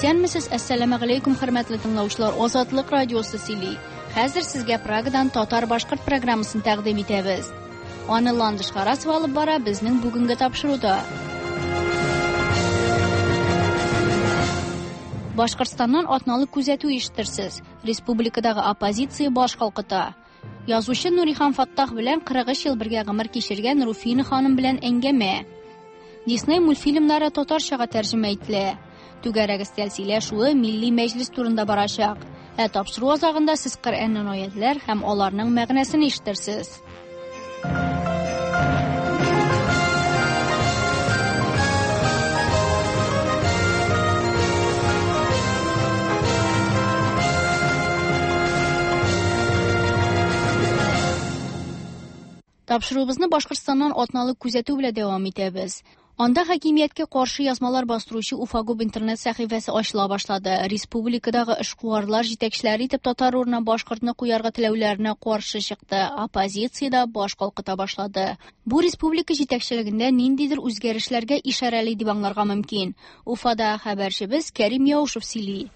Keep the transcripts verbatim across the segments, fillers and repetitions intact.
Исәнмесез, әссәламегаләйкүм, хөрмәтле тыңлаучылар. Азатлык радиосы сөйли. Хәзер сезгә Прагадан татар-башкорт программасын тәкъдим итәбез. Аны Ландыш Харасова алып бара безнең бүгенге тапшыруда. Башкортстаннан атналык күзәтү ишетерсез. Республикадагы оппозиция баш калкыта. Язучы Нурихан Фаттах белән кырык өч ел бергә гомер кичергән Руфина ханым белән әңгәмә. Дисней мультфильмнары татарчага тәрҗемә ителә. Түгәрәк өстәл сөйләшүе Милли Мәҗлес турында барачак. Ә тапшыру азагында сез Коръәннән аятлар һәм аларның мәгънәсен ишетерсез. Тапшыруыбызны Башкортстаннан атналык күзәтү белән дәвам итәбез. Анда хакимияткә каршы язмалар бастыручы Уфагуб интернет сәхифәсе ачыла башлады. Республикадагы эшкуарлар җитәкчеләре итеп татар урынына башкортны куярга теләүләренә каршы чыкты. Оппозиция дә баш калкыта башлады. Бу республика җитәкчелегендә ниндидер үзгәрешләргә ишарәли дип аңларга мөмкин. Уфада хәбәрчебез Кәрим Яушев сөйли.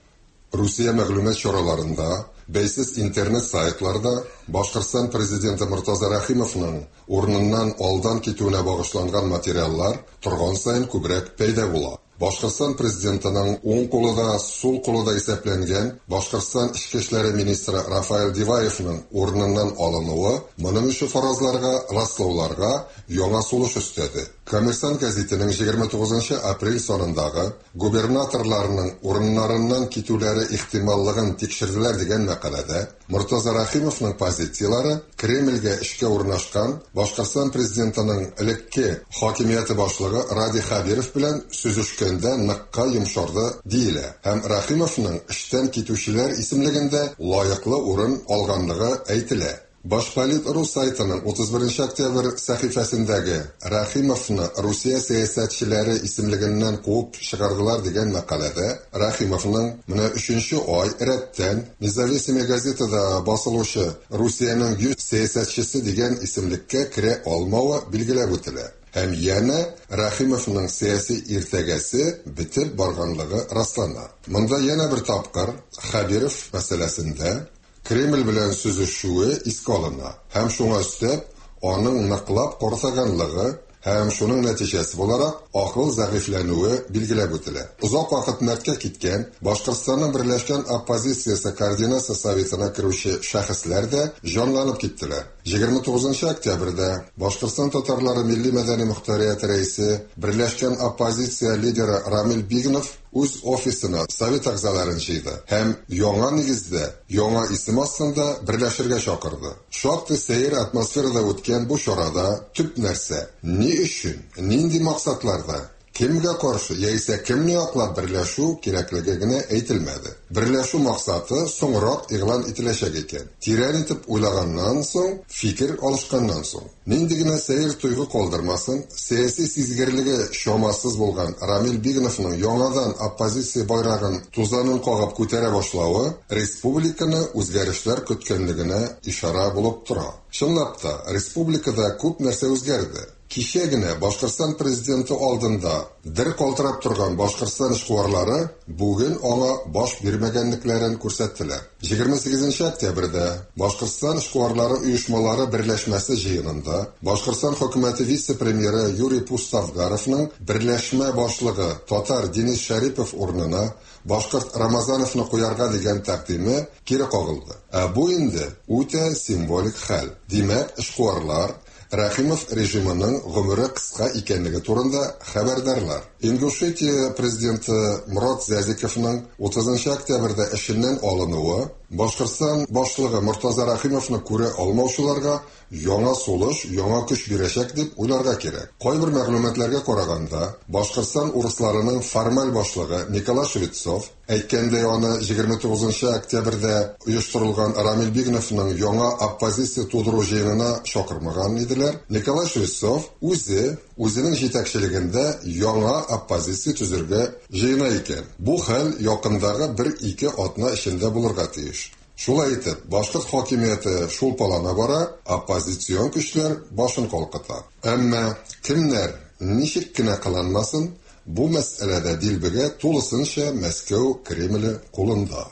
Русия мәгълүмат чараларында, бәйсез интернет сайтларда Башкортстан президенты Мортаза Рәхимовның урыныннан алдан китүенә багышланган материаллар торган саен күбрәк пәйда була. Башкортстан президентының уң кулы да, сул кулы да исәпләнгән Башкортстан эчке эшләре министры Рафаэль Диваевның урыныннан алынуы моның өчен фаразларга, раслауларга яңа сулыш өстәде. Коммерсант гәзитенең егерме тугызынчы апрель санындагы губернаторларның урыннарыннан китүләре ихтималлыгын тикшерделәр дигән мәкаләдә Мортаза Рәхимовның позицияләре Кремльгә эшкә урнашкан Башкортстан президентының элекке хакимияте башлыгы Радий Хәбиров белән сүзешкәндә ныкка йомшарды диелә һәм Рәхимовның эштән китүчеләр исемлегендә лаеклы урын алганлыгы әйтелә. Башполит рус сайтының утыз беренче октябрь сәхифәсендәге Рәхимовны Русия сәясәтчеләре исемлегеннән куып чыгардылар дигән мәкаләдә Рәхимовның менә өченче ай рәттән Независимая газетада басылучы Русиянең йөз сәясәтчесе дигән исемлеккә керә алмавы билгеләп үтелә. Һәм янә Рәхимовның сәяси иртәгәсе бетеп барганлыгы раслана. Монда янә бер тапкыр Хәбиров мәсьәләсендә Кремль белән сүзешүе искә алына һәм шуңа өстәп аның ныклап картайганлыгы һәм шуның нәтиҗәсе буларак акыл зәгыйфьләнүе билгеләп үтелә. Озак вакыт мәрткә киткән Башкортстанның Берләшкән оппозициясе координация советына керүче шәхесләр дә җанланып киттеләр. Егерме тугызынчы октябрьдә Башкортстан татарлары милли мәдәни мохтарияте рәисе, Берләшкән оппозиция лидеры Рамил Бигнов үз офисына совет әгъзаларын җыйды һәм яңа нигездә, яңа исем астында берләшергә чакырды. Шактый сәер атмосферада үткән бу чарада төп нәрсә ни өчен, нинди максатларда, кемгә каршы яисә кемне яклап берләшү кирәклеге генә әйтелмәде. Берләшү максаты соңрак игълан ителәчәк икән. Тирән итеп уйлаганнан соң, фикер алышканнан соң, нинди генә сәер тойгы калдырмасын, сәяси сизгерлеге чамасыз булган Рамил Бигновның яңадан оппозиция байрагын тузанын кагып күтәрә башлавы республиканы үзгәрешләр көткәнлегенә ишарә булып тора. Чынлап та, республикада күп нәрсә үзгәрде. Кичә генә Башкортстан президенты алдында дер калтырап торган Башкортстан эшкуарлары бүген аңа баш бирмәгәнлекләрен күрсәттеләр. Егерме сигезенче октябрьдә Башкортстан эшкуарлары оешмалары берләшмәсе җыенында Башкортстан хөкүмәте вице-премьеры Юрий Пустовгаровның берләшмә башлыгы татар Денис Шәрипов урынына башкорт Рамазановны куярга дигән тәкъдиме кире кагылды. Ә бу инде үтә символик хәл. Димәк, эшкуарлар Рәхимов режимының гомере кыска икәнлеге турында хәбәрдарлар. Ингушетия президенты Мурат Зязиковның утызынчы октябрьдә эшеннән алынуы Башкортстан башлыгы Мортаза Рәхимовны күрә алмаучыларга яңа сулыш, яңа көч бирәчәк дип уйларга кирәк. Кайбер мәгълүматларга караганда, Башкортстан урысларының формаль башлыгы Николай Швецов әйткәндәй, аны егерме тугызынчы октябрьдә оештырылган Рамил Бигновның яңа оппозиция тудыру җыенына чакырмаган иделәр. Николай Швецов үзе үзенең җитәкчелегендә яңа оппозиция төзергә җыена икән. Бу хәл якындагы бер-ике атна эчендә булырга тиеш. Шулай итеп, башкорт хакимияте шулпалана бара, оппозицион көчләр башын калкыта. Әмма кемнәр ничек кенә кыланмасын, бу мәсьәләдә дилбегә тулысынча Мәскәү Кремле кулында.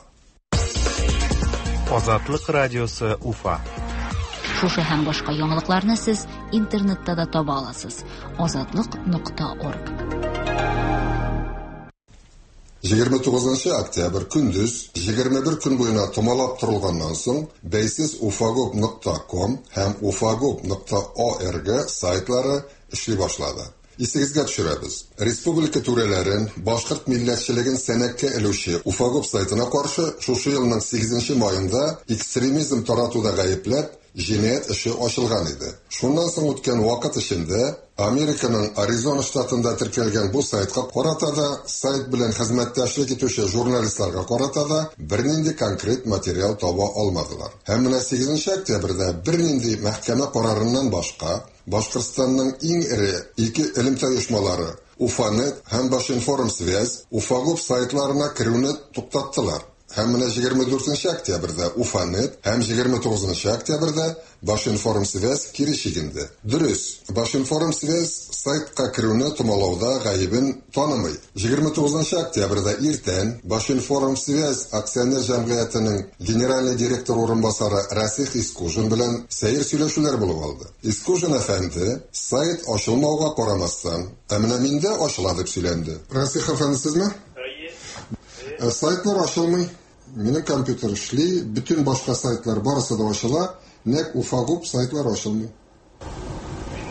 Азатлык радиосы Уфа. Шушы һәм башка яңалыкларны сез интернетта да таба аласыз. Азатлык нокта орг. Егерме тугызынчы октябрь көндез егерме бер көн буена томалап торылганнан соң бәйсез уфагоп нокта ком һәм уфагоп нокта орг сайтлары эшли башлады. Исегезгә төшерәбез. Республика түрәләрен, башкорт милләтчелеген сәнәккә элүче Уфагоп сайтына каршы шушы елның сигезенче маенда экстремизм таратуда гаепләп җинаять эше ачылган иде. Шуннан соң үткән вакыт эчендә Американың Аризона штатында теркәлгән бу сайтка карата да, сайт белән хезмәттәшлек итүче журналистларга карата да бернинди конкрет материал таба алмадылар. Һәм менә сигезенче октябрьдә бернинди мәхкәмә карарыннан башка Башкортстанның иң эре ике элемтә оешмалары Уфанет һәм Башинформсвязь Уфагоп сайтларына керүне туктаттылар. Һәм менә егерме дүртенче октябрьдә Уфанет һәм егерме тугызынчы октябрьдә Башинформсвязь кире чигенде. Дөрес, Башинформсвязь сайтка керүне томалауда гаебен танымый. Егерме тугызынчы октябрьдә иртән Башинформсвязь акционер җәмгыятенең генеральный директор урынбасары Расих Искужин белән сәер сөйләшүләр булып алды. Искужин әфәнде сайт ачылмауга карамастан, ә менә миндә ачыла дип сөйләнде. Расих әфәнде, сезме? Әйе. Сайтлар ачылмый. Минем компьютер эшли, бөтен башка сайтлар барысы да ачыла, нәкъ Уфагоп сайтлар ачылмый.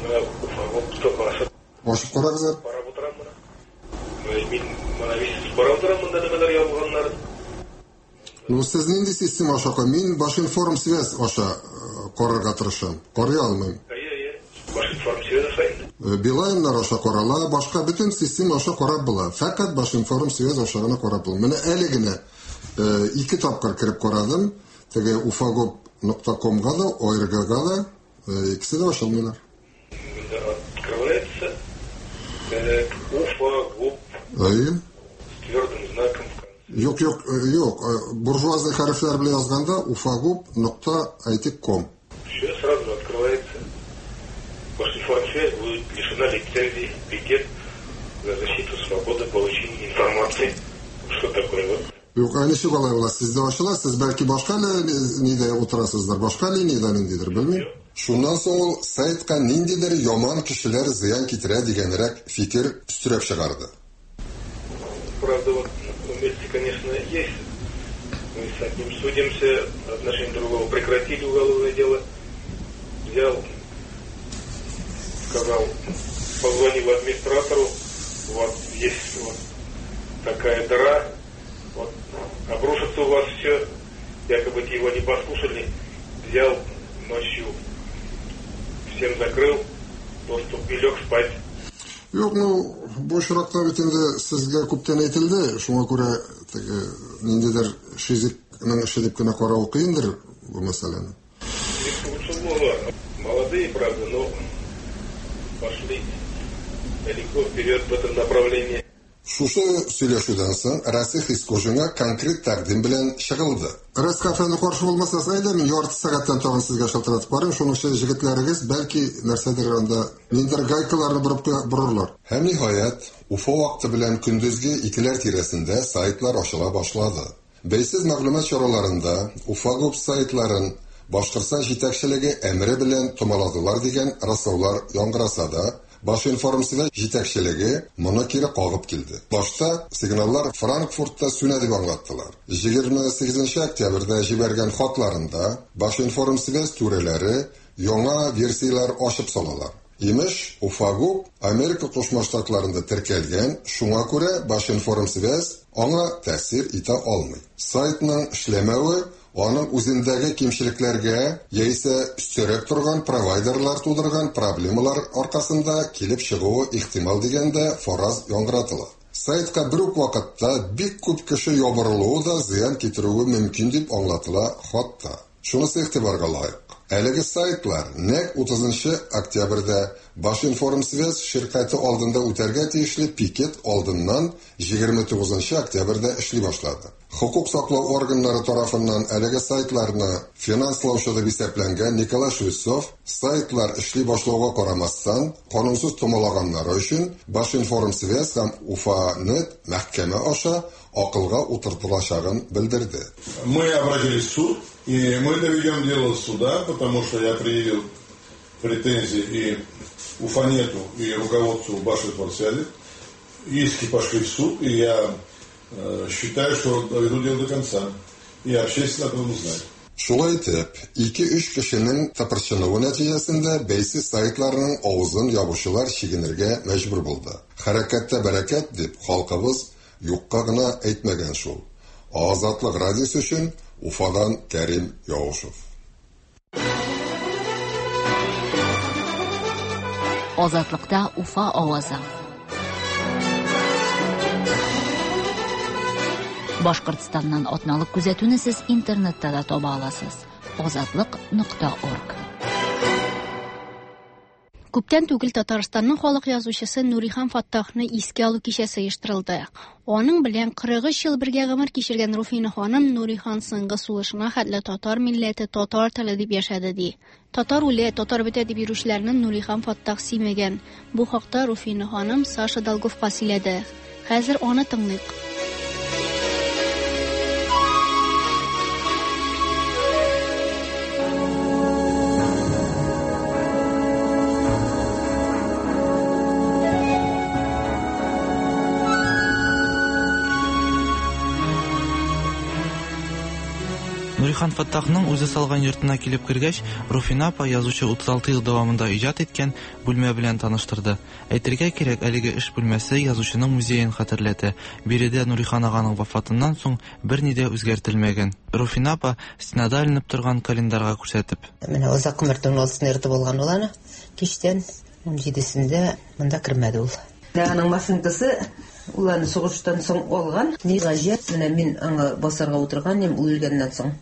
Мин Уфагоп топасы. Ачып карагыз әле. Карап утырам моны. Мин моны бит карап утырам монда нәмәләр язылганнар. Ну, сез нинди система аша кой? Мин Башинформсвязь аша карарга тырышам. Карый алмыйм. Әйе, әйе. Башинформсвязь аша инде. Билайннар аша карала, башка бөтен система аша карап була. Фәкать Башинформсвязь аша гына карап була. Менә әле генә ике тапкыр кереп карадым. Теге уфагоп нокта комга да, оргга да, икесе дә ачылмыйлар. Монда открывается Уфагоп. Әйе. С твердым знаком в конце. Юк, юк, юк. Буржуазный хәрефләр белән язганда уфагоп нокта әйтик ком. Все сразу открывается. Башинформсвязь будет лишена лицензии пикет за защиту свободы получения информации. Что такое вот? Юк, ә ничек алай була? Сездә ачыла, сез бәлки башка нидә утырасыздыр, башка линиядә ниндидер, белмим. Шуннан соң ул сайтка ниндидер яман кешеләр зыян китерә дигәнрәк фикер өстерәп чыгарды. Правда, вот вместе, конечно, есть. Мы с одним судимся, отношения другого прекратили уголовное дело. Взял, сказал, позвонил администратору, вот есть вот такая дыра, вот обрушится у вас все, якобы его не послушали, взял ночью, всем закрыл доступ и лег спать. Юк, ну, бу очракта бит инде сезгә күптән әйтелде, шуңа күрә теге ниндидер шизикның эше дип кенә карау кыендыр бу мәсьәләне. Молодые, правда, но пошли далеко вперед в этом направлении. Шушы сөйләшүдән соң Расих Искужинга конкрет тәкъдим белән чыгылды. Расих әфәнде каршы булмасагыз, әйдә мин ярты сәгатьтән тагын сезгә шалтыратып карыйм, шуның өчен җегетләрегез бәлки нәрсәдер анда ниндидер гайкаларны борып борырлар. Һәм ниһаять, Уфа вакыты белән көндезге икеләр тирәсендә сайтлар ачыла башлады. Бәйсез мәгълүмат чараларында Уфагоп сайтларын Башкортстан җитәкчелеге әмере белән томаладылар дигән раслаулар яңгыраса да, Башинформсвязь җитәкчелеге моны кире кагып килде. Башта сигналлар Франкфуртта сүнә дип аңлаттылар. Егерме сигезенче октябрьдә җибәргән хатларында Башинформсвязь түрәләре яңа версияләр ачып салалар. Имеш, Уфагоп Америка Кушма Штатларында теркәлгән, шуңа күрә Башинформсвязь аңа тәэсир итә алмый. Сайтның эшләмәве аның үзендәге кимчелекләргә яисә өстәрәк торган провайдерлар тудырган проблемалар аркасында килеп чыгуы ихтимал дигәндә фараз яңгыратыла. Сайтка бер үк вакытта бик күп кеше ябырылуы да зыян китерүе мөмкин дип аңлатыла хатта. Шунысы игътибарга лаек. Әлеге сайтлар нәкъ утызынчы октябрьдә Башинформсвязь ширкәте алдында үтәргә тиешле пикет алдыннан егерме тугызынчы октябрьдә эшли башлады. Хокук саклау органнары тарафыннан әлеге сайтларны финанслаучы дип исәпләнгән Николай Швецов сайтлар эшли башлауга карамастан канунсыз томалаганнары өчен Башинформсвязь һәм Уфанет мәхкәмә аша акылга утыртылачагын белдерде. Мы обратились в суд, и мы доведем дело до суда, потому что я предъявил претензии и Уфанету, и руководству Башинформсвязи. Иски пошли в суд, и я э, считаю, что доведу дело до конца. И общественно об этом узнает. Шулай итеп, ике-өч кешенең тыпырчынуы нәтиҗәсендә бәйсез сайтларның авызын ябучылар чигенергә мәҗбүр булды. Хәрәкәттә бәрәкәт дип халкыбыз юкка гына әйтмәгән шул. Азатлык радиосы өчен Уфадан Кәрим Яушев. Азатлыкта Уфа авазы. Башкортстаннан атналык күзәтүне сез интернетта да таба аласыз. Азатлык нокта орг. Күптән түгел Татарстанның халык язучысы Нурихан Фаттахны искә алу кичәсе оештырылды. Аның белән кырык өч ел бергә гомер кичергән Руфина ханым Нурихан соңгы сулышына хәтле татар милләте, татар теле дип яшәде ди. Татар үлә, татар бетә дип йөрүчеләрне Нурихан Фаттах сөймәгән. Бу хакта Руфина ханым Саша Долговка сөйләде. Хәзер аны тыңлыйк. Нурихан Фаттахның үзе салган йортына килеп кергәч, Руфина апа язучы утыз алты ел дәвамында иҗат иткән бүлмә белән таныштырды. Әйтергә кирәк, әлеге эш бүлмәсе язучының музеен хәтерләтә. Биредә Нурихан аганың вафатыннан соң берни дә үзгәртелмәгән. Руфина апа стенада эленеп торган календарьга күрсәтеп. Менә озак гомердән алсын йорты булган ул аны. Кичтән ун җидесендә монда кермәде ул. Аның машинкасы ул аны сугыштан соң алган. Ни гаҗәп, менә мин аңа басарга утырган идем, ул үлгәннән соң.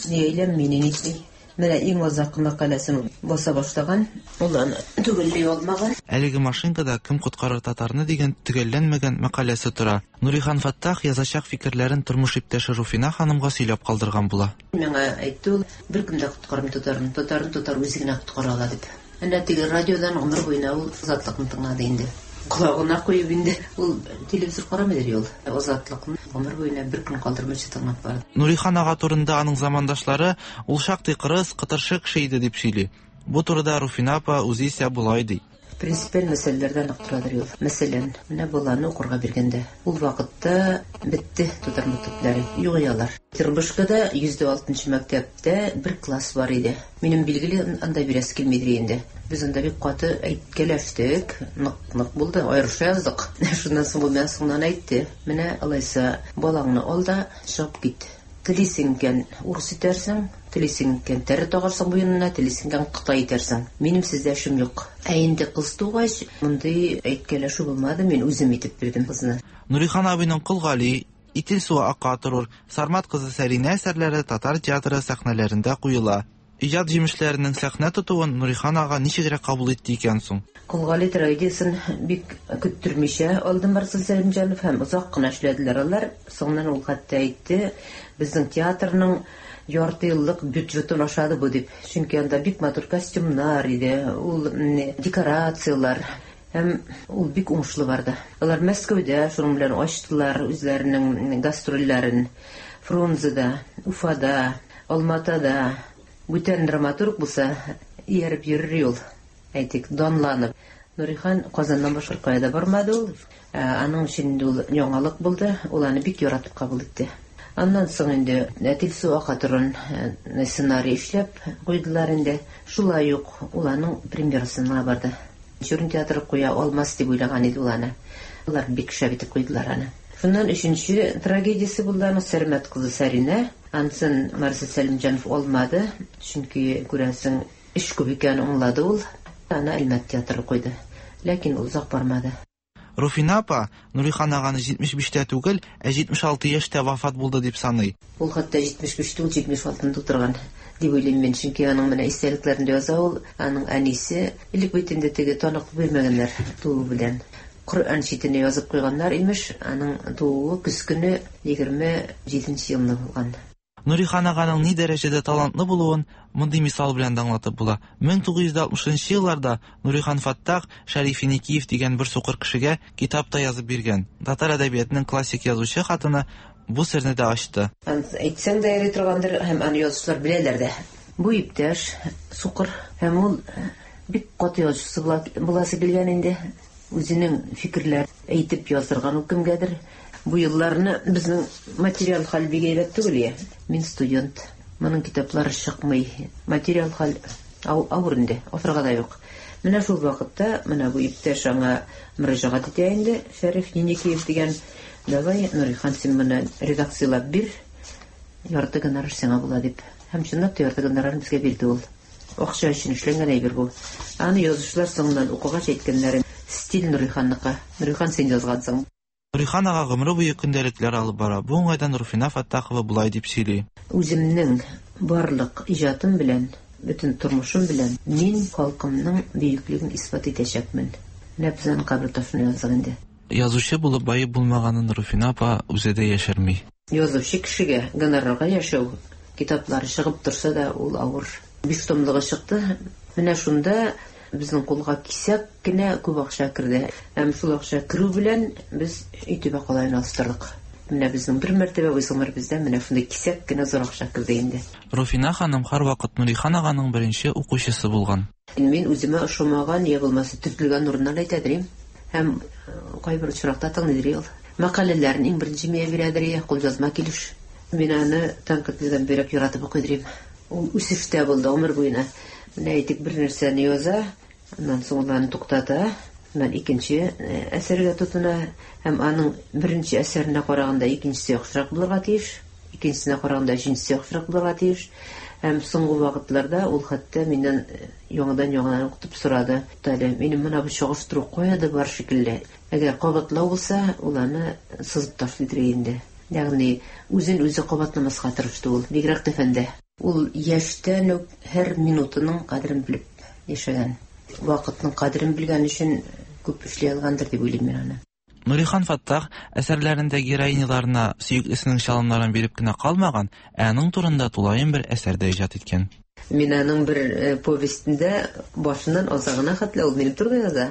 Ни әйләм, мине нитми. Менә иң азаккы мәкаләсен баса башлаган, ул аны төгәлли алмаган. Әлеге машинкада «Кем коткарыр татарны» дигән төгәлләнмәгән мәкаләсе тора. Нурихан Фаттах язачак фикерләрен тормыш иптәше Руфина ханымга сөйләп калдырган була. Миңа әйтте ул, беркем дә коткармый татарны, татарны татар үзе генә коткара ала дип. Әнә теге радиодан гомер буена ул Азатлыкны тыңлады инде. Колагына куеп инде. Ул телевизор карамый ул. Азатлыкны гомер буена бер көн калдырмыйча тыңлап барды. Нурихан ага турында аның замандашлары ул шактый кырыс, кытыршы кеше иде дип сөйли. Бу турыда Руфина апа үзе исә болай ди. Принципиаль мәсьәләләрдән нык торадыр ул. Мәсәлән, менә баланы укырга биргәндә, ул вакытта бетте татар мәктәпләре, юк ялар. Тырбышкада йөз дә алтынчы мәктәптә бер класс бар иде. Минем билгеле анда бирәсе килмидер инде. Без анда бик каты әйткәләштек, нык-нык булды, аерыша яздык. Шуннан соң бу миңа соңыннан әйтте. Менә алайса балаңны ал да чыгып кит. Телисең икән урыс итәрсең, телисең икән тәре тагарсың буенына, телисең икән кытай итәрсең. Минем сездә эшем юк. Ә инде кыз тугач, мондый әйткәләшү булмады, мин үзем итеп бирдем кызны. Нурихан абыйның Кол Гали, Итил суы ака торыр, Сармат кызы Сәринә әсәрләре татар театры сәхнәләрендә куела. Иҗат җимешләренең сәхнә тотуын Нурихан ага ничегрәк кабул итте икән соң? Кол Гали трагедиясен бик көттөрмичә алды Марсель Сәлимҗанов һәм озак кына эшләделәр алар. Соңыннан ул хәтта әйтте, безнең театрның ярты еллык бюджетын ашады бу дип. Чөнки анда бик матур костюмнар иде, ул декорациялар. Һәм ул бик уңышлы барды. Алар Мәскәүдә шуның белән ачтылар үзләренең гастрольләрен. Фрунзеда, Уфада, Алматада. Бүтән драматург булса, ияреп йөрер юл. Әйтик, данланып. Нурихан Казаннан башка кая да бармады ул. Аның өчен инде ул яңалык булды. Ул аны бик яратып кабул итте. Аннан соң инде Итил суы ака торган сценарий эшләп куйдылар инде. Шулай ук ул аның премьерасына барды. Чурин театры куя алмас дип уйлаган иде ул аны. Алар бик шәп итеп куйдылар аны. Шуннан өченче трагедиясе булды аның Сәрмәт кызы Сәринә. Ансын Марсель Сәлимҗанов алмады, чөнки күрәсең эш күп икәнен аңлады ул. Аны Әлмәт театры куйды. Ләкин ул озак бармады. Руфина апа Нурихан аганы җитмеш биштә түгел, ә җитмеш алты яшьтә вафат булды дип саный. Ул хәтта җитмеш биш түгел, җитмеш алтыны тутырган дип уйлыйм мин, чөнки аның менә истәлекләрендә яза ул, аның әнисе элек бит инде теге таныклык бирмәгәннәр туу белән. Коръән читенә язып куйганнар имеш, аның тууы көз көне егерме җиденче елны булган. Нурихан аганың ни дәрәҗәдә талантлы булуын мондый мисал белән дә аңлатып була. Мең тугыз йөз алтмышынчы елларда Нурихан Фаттах Шәриф Еникиев дигән бер сукыр кешегә китап та язып биргән. Татар әдәбиятының классик язучы хатыны бу серне дә ачты. Әйтсәң дә йөри торгандыр, һәм аны язучылар беләләр дә. Бу иптәш сукыр һәм ул бик каты язучысы буласы килгән инде. Үзенең фикерләрен әйтеп яздырган ул кемгәдер. Бу елларны безнең материал хәл бик әйбәт түгел я. Мин студент. Моның китаплары чыкмый. Материал хәл авыр инде, ахырга да юк. Менә шул вакытта менә бу иптәш аңа мөрәҗәгать итә инде, Шәриф Еникиев дигән. Давай, Нурихан, син моны редакцияләп бир, ярты гонорар сиңа була дип. Һәм чынлап та ярты гонорарны безгә бирде ул. Акча өчен эшләнгән әйбер бу. Аны язучылар соңыннан укыгач әйткәннәре, стиль Нуриханныкы. Нурихан, син язгансың. Нурихан ага гомере буе көндәлекләр алып бара. Бу уңайдан Руфина Фаттахова болай дип сөйли. Үземнең барлык иҗатым белән, бөтен тормышым белән мин халкымның бөеклеген исбат итәчәкмен. Менә без аның кабер ташын яздык инде. Язучы булып баеп булмаганын Руфина апа үзе дә яшерми. Язучы кешегә гонорарга яшәү, китаплары чыгып торса да ул авыр. Биш томлыгы чыкты. Менә шунда безнең кулга кисәк кенә күп акча керде. Һәм шул акча керү белән без өй түбә калаен алыштырдык. Менә безнең бер мәртәбә үз гомеребездә менә шундый кисәк кенә зур акча керде инде. Руфина ханым һәрвакыт Нурихан аганың беренче укучысы булган. Мин үземә ошамаган я булмаса төртелгән урыннар әйтәдер. Һәм кайбер очракта тыңлыйдыр ул. Мәкаләләрен иң беренче миңа бирәдер, кулъязма килеш. Мин аны тәнкыйтьледән бигрәк яратып укыйдыр. Ул үсештә булды гомер буена. Менә әйтик, бер нәрсәне яза, аннан соң ул аны туктата, аннан икенче әсәргә тотына, һәм аның беренче әсәренә караганда икенчесе яхшырак булырга тиеш, икенчесенә караганда өченчесе яхшырак булырга тиеш. Һәм соңгы вакытларда ул хәтта миннән яңадан-яңадан укытып сорады. Әле минем менә бу чагыштыру кая да бар шикелле. Әгәр кабатлау булса, ул аны сызып ташлыйдыр инде. Ягъни үзен үзе кабатламаска тырышты ул, бигрәк тә фәндә. Ул яшьтән үк һәр минутының кадерен белеп яшәгән. Вакытның кадерен белгән өчен күп эшли алгандыр дип уйлыйм мин аны. Нурихан Фаттах әсәрләрендә героиняларына сөеклесенең чалымнарын биреп кенә калмаган, ә аның турында тулаем бер әсәр дә иҗат иткән. Мин аның бер повестендә башыннан азагына хәтле ул минем турыда яза.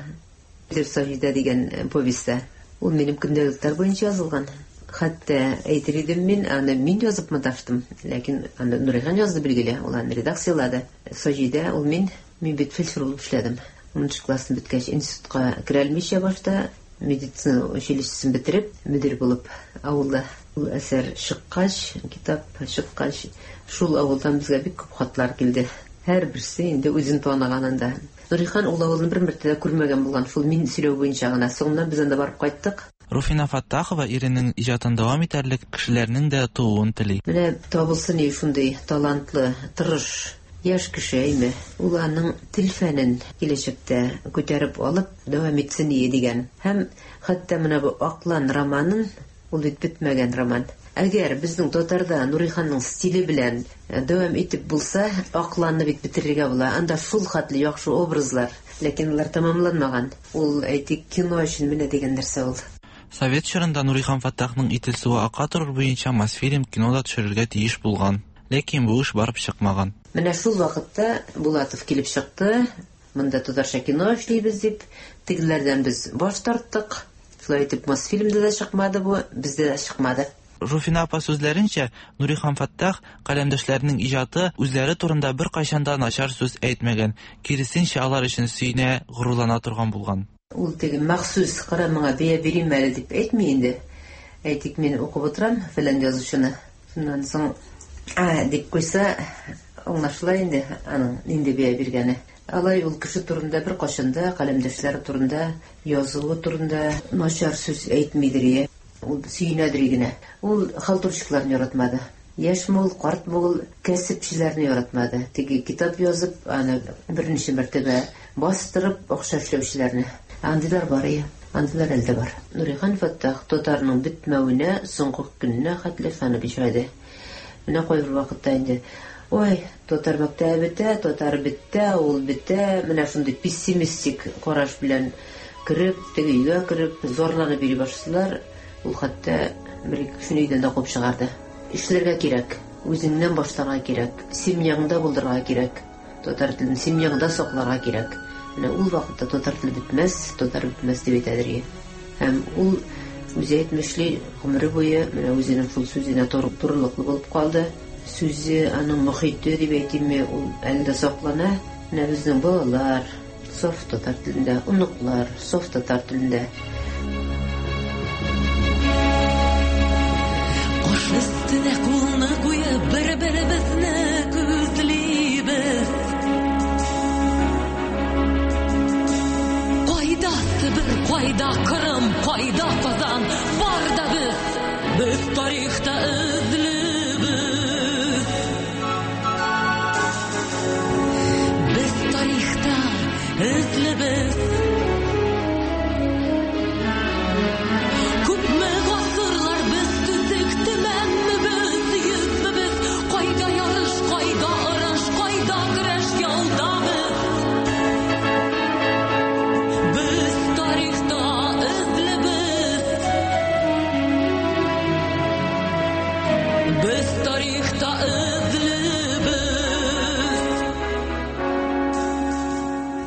Саҗидә дигән повестьтә. Ул минем көндәлекләр буенча язылган. Хәтта әйтер идем мин, аны мин язып маташтым, ләкин аны Нурихан язды билгеле, ул аны редакциялады. Саҗидә ул мин, мин бит фельдшер булып эшләдем. Унынчы классны беткәч институтка керә алмыйча башта медицина училищесын бетереп, мөдир булып авылда. Ул әсәр чыккач, китап чыккач, шул авылдан безгә бик күп хатлар килде. Һәр берсе инде үзен таныганында. Нурихан ул авылны бер мәртәбә дә күрмәгән булган, шул мин сөйләү буенча гына. Соңыннан без анда барып кайттык. Руфина Фаттахова иренең иҗатын дәвам итәрлек кешеләрнең дә тууын тели. Менә табылсын шундый талантлы, тырыш яшь кеше әйме. Ул аның тел фәнен киләчәктә күтәреп алып дәвам итсен ие дигән. Һәм хәтта менә бу Аклан романын, ул бит бетмәгән роман. Әгәр безнең татарда Нуриханның стиле белән дәвам итеп булса, Акланны бит бетерергә була. Анда шул хәтле яхшы образлар, ләкин алар тәмамланмаган. Ул әйтик кино өчен менә дигән нәрсә ул. Совет чорында Нурихан Фаттахның Ител суы ака торыр буенча Мосфильм кинода төшерергә тиеш булган. Ләкин бу эш барып чыкмаган. Менә шул вакытта Булатов килеп чыкты. Монда татарча кино эшлибез дип, тегеләрдән без баш тарттык. Шулай итеп Мосфильмда да чыкмады бу, бездә дә чыкмады. Руфина апа сүзләренчә, Нурихан Фаттах каләмдәшләренең иҗаты үзләре турында бер кайчан да начар сүз әйтмәгән, киресенчә алар өчен сөенә, горурлана торган булган. Ул теге махсус кара моңа бәя бирим әле дип әйтми инде. Әйтик, мин укып утырам фәлән язучыны. Шуннан соң а дип куйса, аңлашыла инде аның нинди бәя биргәне. Алай ул кеше турында бер кайчан да, каләмдәшләре турында, язуы турында начар сүз әйтмидер. Ул сөенәдер генә. Ул халтурщикларны яратмады. Яшь ул, карт ул, кәсепчеләрне яратмады. Теге китап язып, аны берничә мәртәбә бастырып, акча эшләүчеләрне. Андыйлар бар иде. Андыйлар әле дә бар. Нурихан Фәттах татарның бетмәвенә соңгы көненә хәтле ышанып яшәде. Менә кайбер вакытта инде ой, татар мәктәбе бетә, татар бетә, ул бетә, менә шундый пессимистик караш белән кереп, теге өйгә кереп, зарланып йөри башлыйлар. Ул хәтта бер ике кешене өйдән дә куып чыгарды. Эшләргә кирәк, үзеңнән башларга кирәк, семьяңда булдырырга кирәк, татар телен семьяңда сакларга кирәк. Менә ул вакытта татар теле бетмәс, татар бетмәс дип әйтәдер. Һәм ул үзе әйтмешли, гомере буе менә үзенең шул сүзенә турылыклы булып калды. Сүзе, аның мохите дип әйтимме, ул әле дә саклана. Менә безнең балалар саф татар телендә, оныклар саф татар телендә. Баш өстенә кулны куеп, бер-беребезне күзлибез. Кайда Себер, кайда Кырым, кайда Казан, бар да без, без тарихта эзлибез. Без тарихта эзлибез. Күпме гасырлар без төзек, төмәнме без, йөзме без, кайда ярыш, кайда орыш, кайда көрәш, яуда без. Без тарихта эзлибез. Без тарихта эзлибез.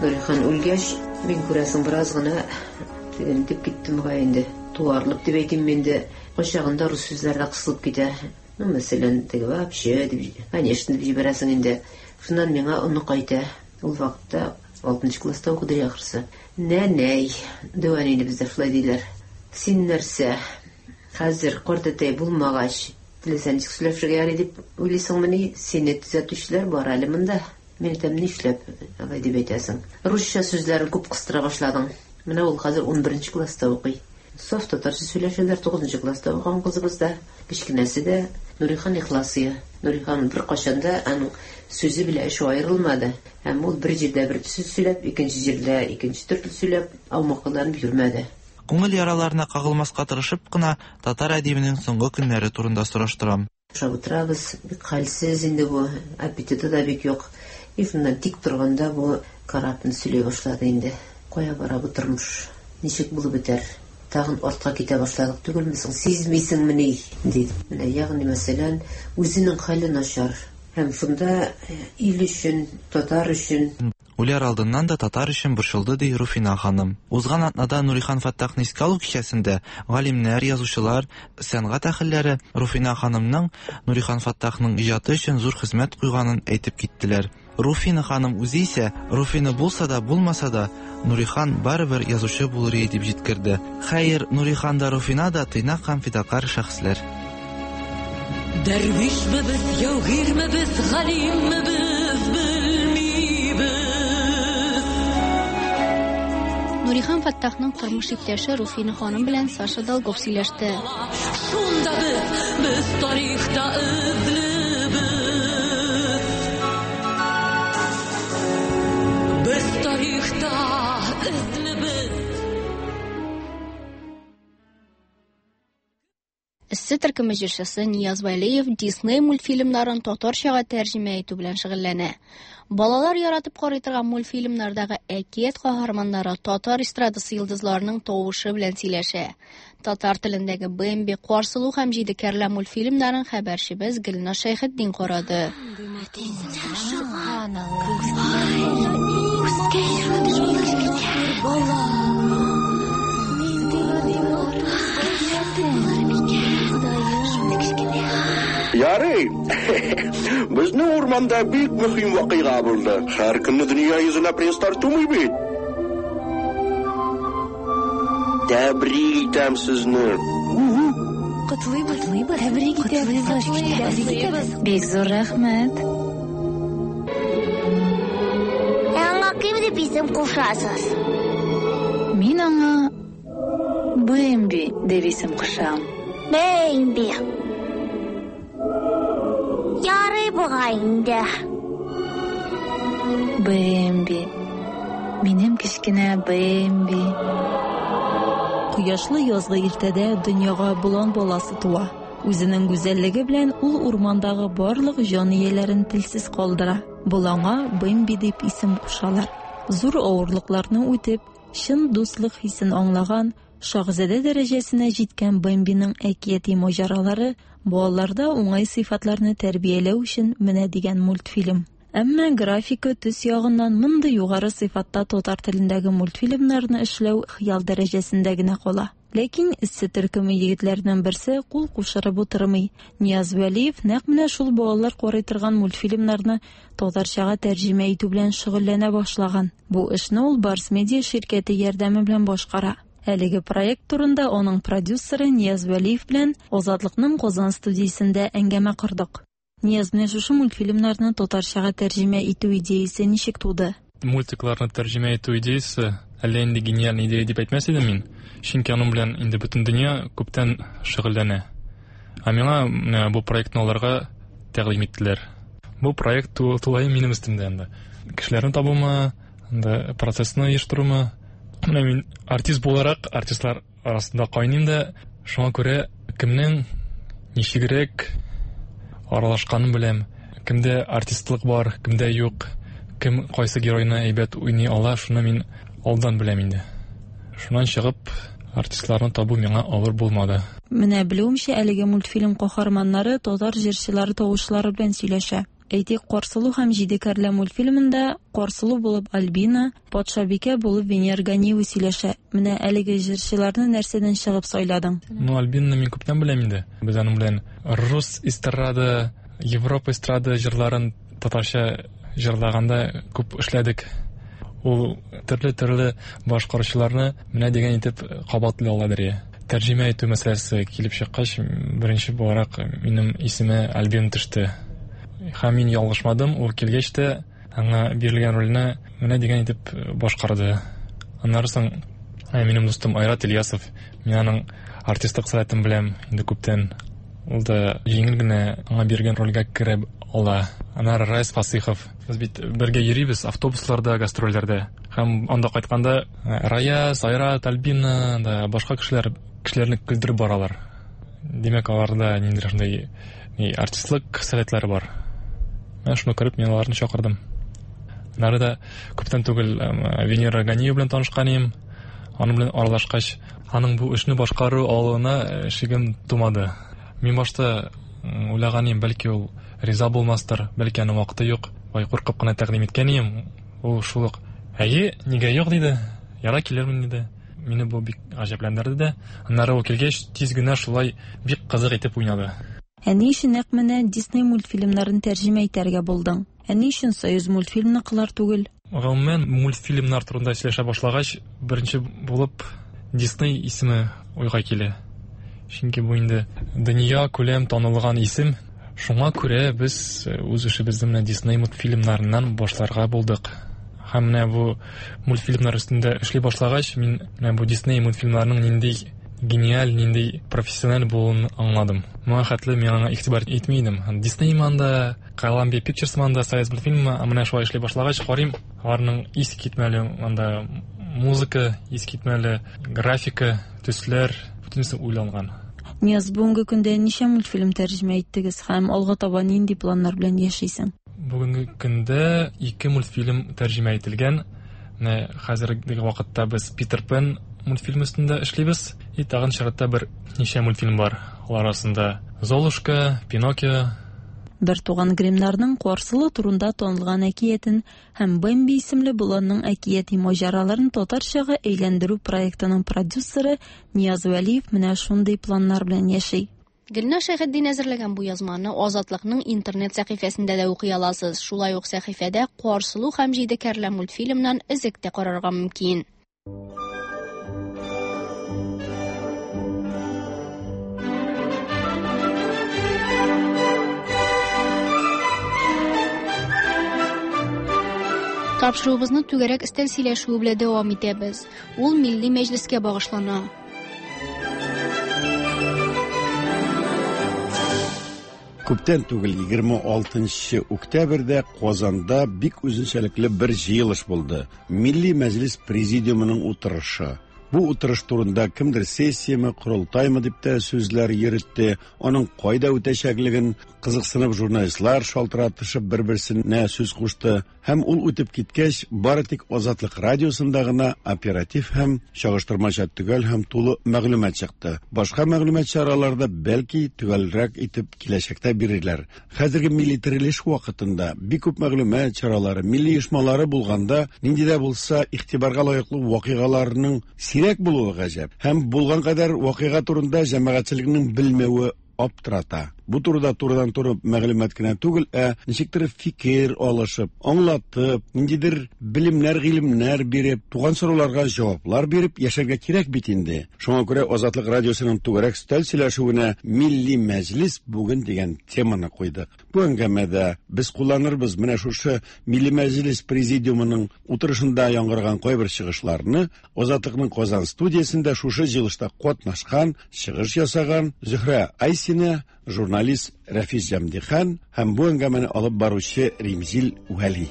Нурихан үлгәч, мин күрәсең бераз гына тегенетеп киттем бугай инде. Туарлып дип әйтим инде. Кайчагында рус сүзләре дә кысылып китә. Ну, мәсәлән, теге вообще дип, конечно дип җибәрәсең инде. Шуннан миңа онык әйтә. Ул вакытта алтынчы класста укыды ахрысы. Нәнәй, дәү әнине бездә шулай диләр. Син нәрсә? Хәзер картәтәй булмагач, теләсә ничек сөйләшергә ярый дип уйлыйсыңмыни? Сине төзәтүчеләр бар әле монда. Мин әйтәм, нишләп алай дип әйтәсең? Русча сүзләрен күп кыстыра башладың. Менә ул хәзер унберенче класста укый. Саф татарча сөйләшәләр, тугызынчы класста укыган кызыбыз да, кечкенәсе дә Нурихан ихласые. Нурихан бер кайчан да аның сүзе белән эше аерылмады. Һәм ул бер җирдә бер сүз сөйләп, икенче җирдә икенче төрле сөйләп, аумакыланып йөрмәде. Күңел яраларына кагылмаска тырышып кына татар әдибенең соңгы көннәре турында сораштырам. Ашап утырабыз, бик хәлсез инде бу, аппетиты да бик юк. И шуннан тик торганда бу карапны сөйли башлады инде. Кая бара бу тормыш? Ничек булып бетәр? Тагын артка китә башладык түгелме соң? Сизмисеңмени? Диде. Менә ягъни мәсәлән, үзенең хәле начар. Һәм шунда ил өчен, татар өчен. Үләр алдыннан да татар өчен борчылды, ди Руфина ханым. Узган атнада Нурихан Фәттахны искә алу кичәсендә галимнәр, язучылар, сәнгать әһелләре Руфина ханымның Нурихан Фәттахның иҗаты өчен зур хезмәт куйганын әйтеп киттеләр. Руфина ханым үзе исә, Руфина булса да, булмаса да, Нурихан барыбер язучы булыр иде дип җиткерде. Хәер, Нурихан да, Руфина да тыйнак һәм фидакар шәхесләр. Дәрвишме без, яугирме без, галимме без, белмибез. Нурихан Фәттахның тормыш иптәше Руфина ханым белән Саша Долгов сөйләште. Шунда без, без тарихта эзлибез. Без тарихта эзлибез. Эссе төркеме җырчысы Нияз Вәлиев Дисней мультфильмнарын татарчага тәрҗемә итү белән шөгыльләнә. Балалар яратып карый торган мультфильмнардагы әкият каһарманнары татар эстрадасы йолдызларының тавышы белән сөйләшә. Татар телендәге Бэмби, Карсылу һәм Җиде кәрлә мультфильмнарын хәбәрчебез Гөлназ Шәйхетдин карады. Ярый, безнең урманда бик мөһим вакыйга булды. Һәр көнне дөнья йөзенә принцлар тумый бит. Тәбрик итәм сезне. Котлыйбыз, тәбрик итәбез. Бик зур рәхмәт. Ә аңа кем дип исем кушасыз? Мин аңа Бэмби дип исем кушам. Бэмби. Ярый бугай инде. Бэмби. Минем кечкенә Бэмби. Кояшлы язгы иртәдә дөньяга болан баласы туа. Үзенең гүзәллеге белән ул урмандагы барлык җан ияләрен телсез калдыра. Боланга Бэмби дип исем кушалар. Зур авырлыкларны үтеп, чын дуслык хисен аңлаган, шаһзадә дәрәҗәсенә җиткән Бэмбиның әкияти маҗаралары балаларда уңай сыйфатларны тәрбияләү өчен менә дигән мультфильм. Әмма графика төс ягыннан мондый югары сыйфатта татар телендәге мультфильмнарны эшләү хыял дәрәҗәсендә генә кала. Ләкин эссе төркеме егетләренең берсе кул кушырып утырмый. Нияз Вәлиев нәкъ менә шул балалар карый торган мультфильмнарны татарчага тәрҗемә итү белән шөгыльләнә башлаган. Бу эшне ул Барс Медиа ширкәте ярдәме белән башкара. Әлеге проект турында аның продюсеры Нияз Вәлиев белән Азатлыкның Казан студиясендә әңгәмә кордык. Нияз, менә шушы мультфильмнарны татарчага тәрҗемә итү идеясе ничек туды? Мультикларны тәрҗемә итү идеясе әллә инде гениаль идея дип әйтмәс идем мин. Чөнки аның белән инде бөтен дөнья күптән шөгыльләнә. Ә миңа менә бу проектны аларга тәкъдим иттеләр. Бу проект тулаем минем өстемдә инде. Кешеләрне табумы, инде процессны оештырумы. Менә мин артист буларак артистлар арасында кайныйм да, шуңа күрә кемнең ничегрәк аралашканын беләм. Кемдә артистлык бар, кемдә юк, кем кайсы геройны әйбәт уйный ала, шуны мин алдан беләм инде. Шуннан чыгып артистларны табу миңа авыр булмады. Менә белүемчә, әлеге мультфильм каһарманнары татар җырчылары тавышлары белән сөйләшә. Әйтик, Карсылу һәм Җиде кәрлә мультфильмында Карсылу булып Альбина, Патшабикә булып Венера Ганиева сөйләшә. Менә әлеге җырчыларны нәрсәдән чыгып сайладың? Ну, Альбинаны мин күптән беләм инде. Без аның белән рус эстрада, Европа эстрада җырларын татарча җырлаганда күп эшләдек. Ул төрле-төрле башкаручыларны менә дигән итеп кабатлый аладыр. Тәрҗемә итү мәсьәләсе килеп чыккач, беренче буларак минем исемә Альбина төште. Һәм мин ялгышмадым, ул килгәч тә аңа бирелгән рольне менә дигән итеп башкарды. Аннары соң минем дустым Айрат Ильясов, мин аның артистлык сәләтен беләм инде күптән. Ул да җиңел генә аңа биргән рольгә керә ала. Аннары Райс Фасыйхов. Без бит бергә йөрибез автобусларда, гастрольләрдә. Һәм анда кайтканда Раяз, Айрат, Альбина да башка кешеләр кешеләрне көлдереп баралар. Димәк, аларда ниндидер шундый артистлык сәләтләре бар. Мен шуны күреп, мин аларны чакырдым. Аннары да күптән түгел Венера Ганиева белән танышкан идем. Аның белән аралашкач, аның бу эшне башкару алуына шигем тумады. Мин башта уйлаган идем, бәлки ул риза булмастыр, бәлки аның вакыты юк. Бай куркып кына тәкъдим иткән идем. Ул шул ук, "Әйе, нигә юк?" диде. "Яра килермен" диде. Мине бу бик гаҗәпләндерде дә. Аннары ул килгәч, тиз генә шулай бик кызык итеп уйнады. Ә ни өчен нәкъ менә Дисней мультфильмнарын тәрҗемә итәргә булдың? Ә ни өчен Союз мультфильмныкылар түгел? Гомумән, мультфильмнар турында сөйләшә башлагач, беренче булып Дисней исеме уйга килә. Чөнки бу инде дөнья күләм танылган исем. Шуңа күрә без үз эшебезне менә Дисней мультфильмнарыннан башларга булдык. Һәм менә бу мультфильмнар өстендә эшли башлагач, мин менә бу Дисней мультфильмнарының нинди гениаль, нинди профессиональ булуын аңладым. Моңа хәтле мин аңа игътибар итми идем. Дисней манда, Columbia Pictures манда, Союз мультфильмы, ә менә шулай эшли башлагач, карыйм, аларның искитмәле анда музыка, искитмәле графика, төсләр, бөтенесе уйланган. Нияз, бүгенге көндә ничә мультфильм тәрҗемә иттегез һәм алга таба нинди планнар белән яшисең? Бүгенге көндә ике мультфильм тәрҗемә ителгән. Менә хәзерге вакытта без Питер Пен мультфильм өстендә эшлибез. И тагын чиратта бер ничә мультфильм бар. Алар арасында Золушка, Пиноккио. Бер туган Гримнарның Карсылу турында танылган әкиятен һәм Бэмби исемле боланның әкияти маҗараларын татарчага әйләндерү проектының продюсеры Нияз Вәлиев менә шундый планнар белән яши. Гөлназ Шәйхетдин әзерләгән бу язманы Азатлыкның интернет сәхифәсендә дә укый аласыз. Шулай ук сәхифәдә Карсылу һәм Җиде кәрлә мультфильмнан өзек тә карарга мөмкин. Тапшыруыбызны түгәрәк өстәл сөйләшүе белән дәвам итәбез. Ул Милли Мәҗлескә багышлана. Күптән түгел егерме алтынчы октябрьдә Казанда бик үзенчәлекле бер җыелыш булды. Милли Мәҗлес президиумының утырышы. Бу утырыш турында кемдер сессияме, корылтаймы дип тә сүзләр йөртте. Аның кайда үтәчәклеген кызыксынып журналистлар шалтыратышып бер-берсенә сүз кушты. Һәм ул үтеп киткәч, бары тик Азатлык радиосында гына оператив һәм чагыштырмача төгәл һәм тулы мәгълүмат чыкты. Башка мәгълүмат чараларда бәлки төгәлрәк итеп киләчәктә бирерләр. Хәзерге милли терелеш вакытында бик күп мәгълүмат чаралары, милли оешмалары булганда, нинди дә булса игътибарга лаеклы вакыйгаларның сирәк булуы гаҗәп. Һәм булган кадәр вакыйга турында җәмәгатьчелекнең белмәве аптырата. Бу турыда турыдан-туры мәгълүмат кенә түгел, ә ничектер фикер алышып, аңлатып, ниндидер белемнәр, гыйлемнәр биреп, туган сорауларга җаваплар биреп яшәргә кирәк бит инде. Шуңа күрә Азатлык радиосының түгәрәк өстәл сөйләшүенә Милли мәҗлис бүген дигән теманы куйдык. Бу әңгәмәдә без кулланырбыз менә шушы Милли мәҗлис президиумының утырышында яңгыраган кайбер чыгышларны. Азатлыкның Казан студиясендә шушы җыелышта катнашкан, чыгыш ясаган Зөһрә Айсина, журналист Рәфис Җәмдихан һәм бу әңгәмәне алып баручы Римзил Вәли.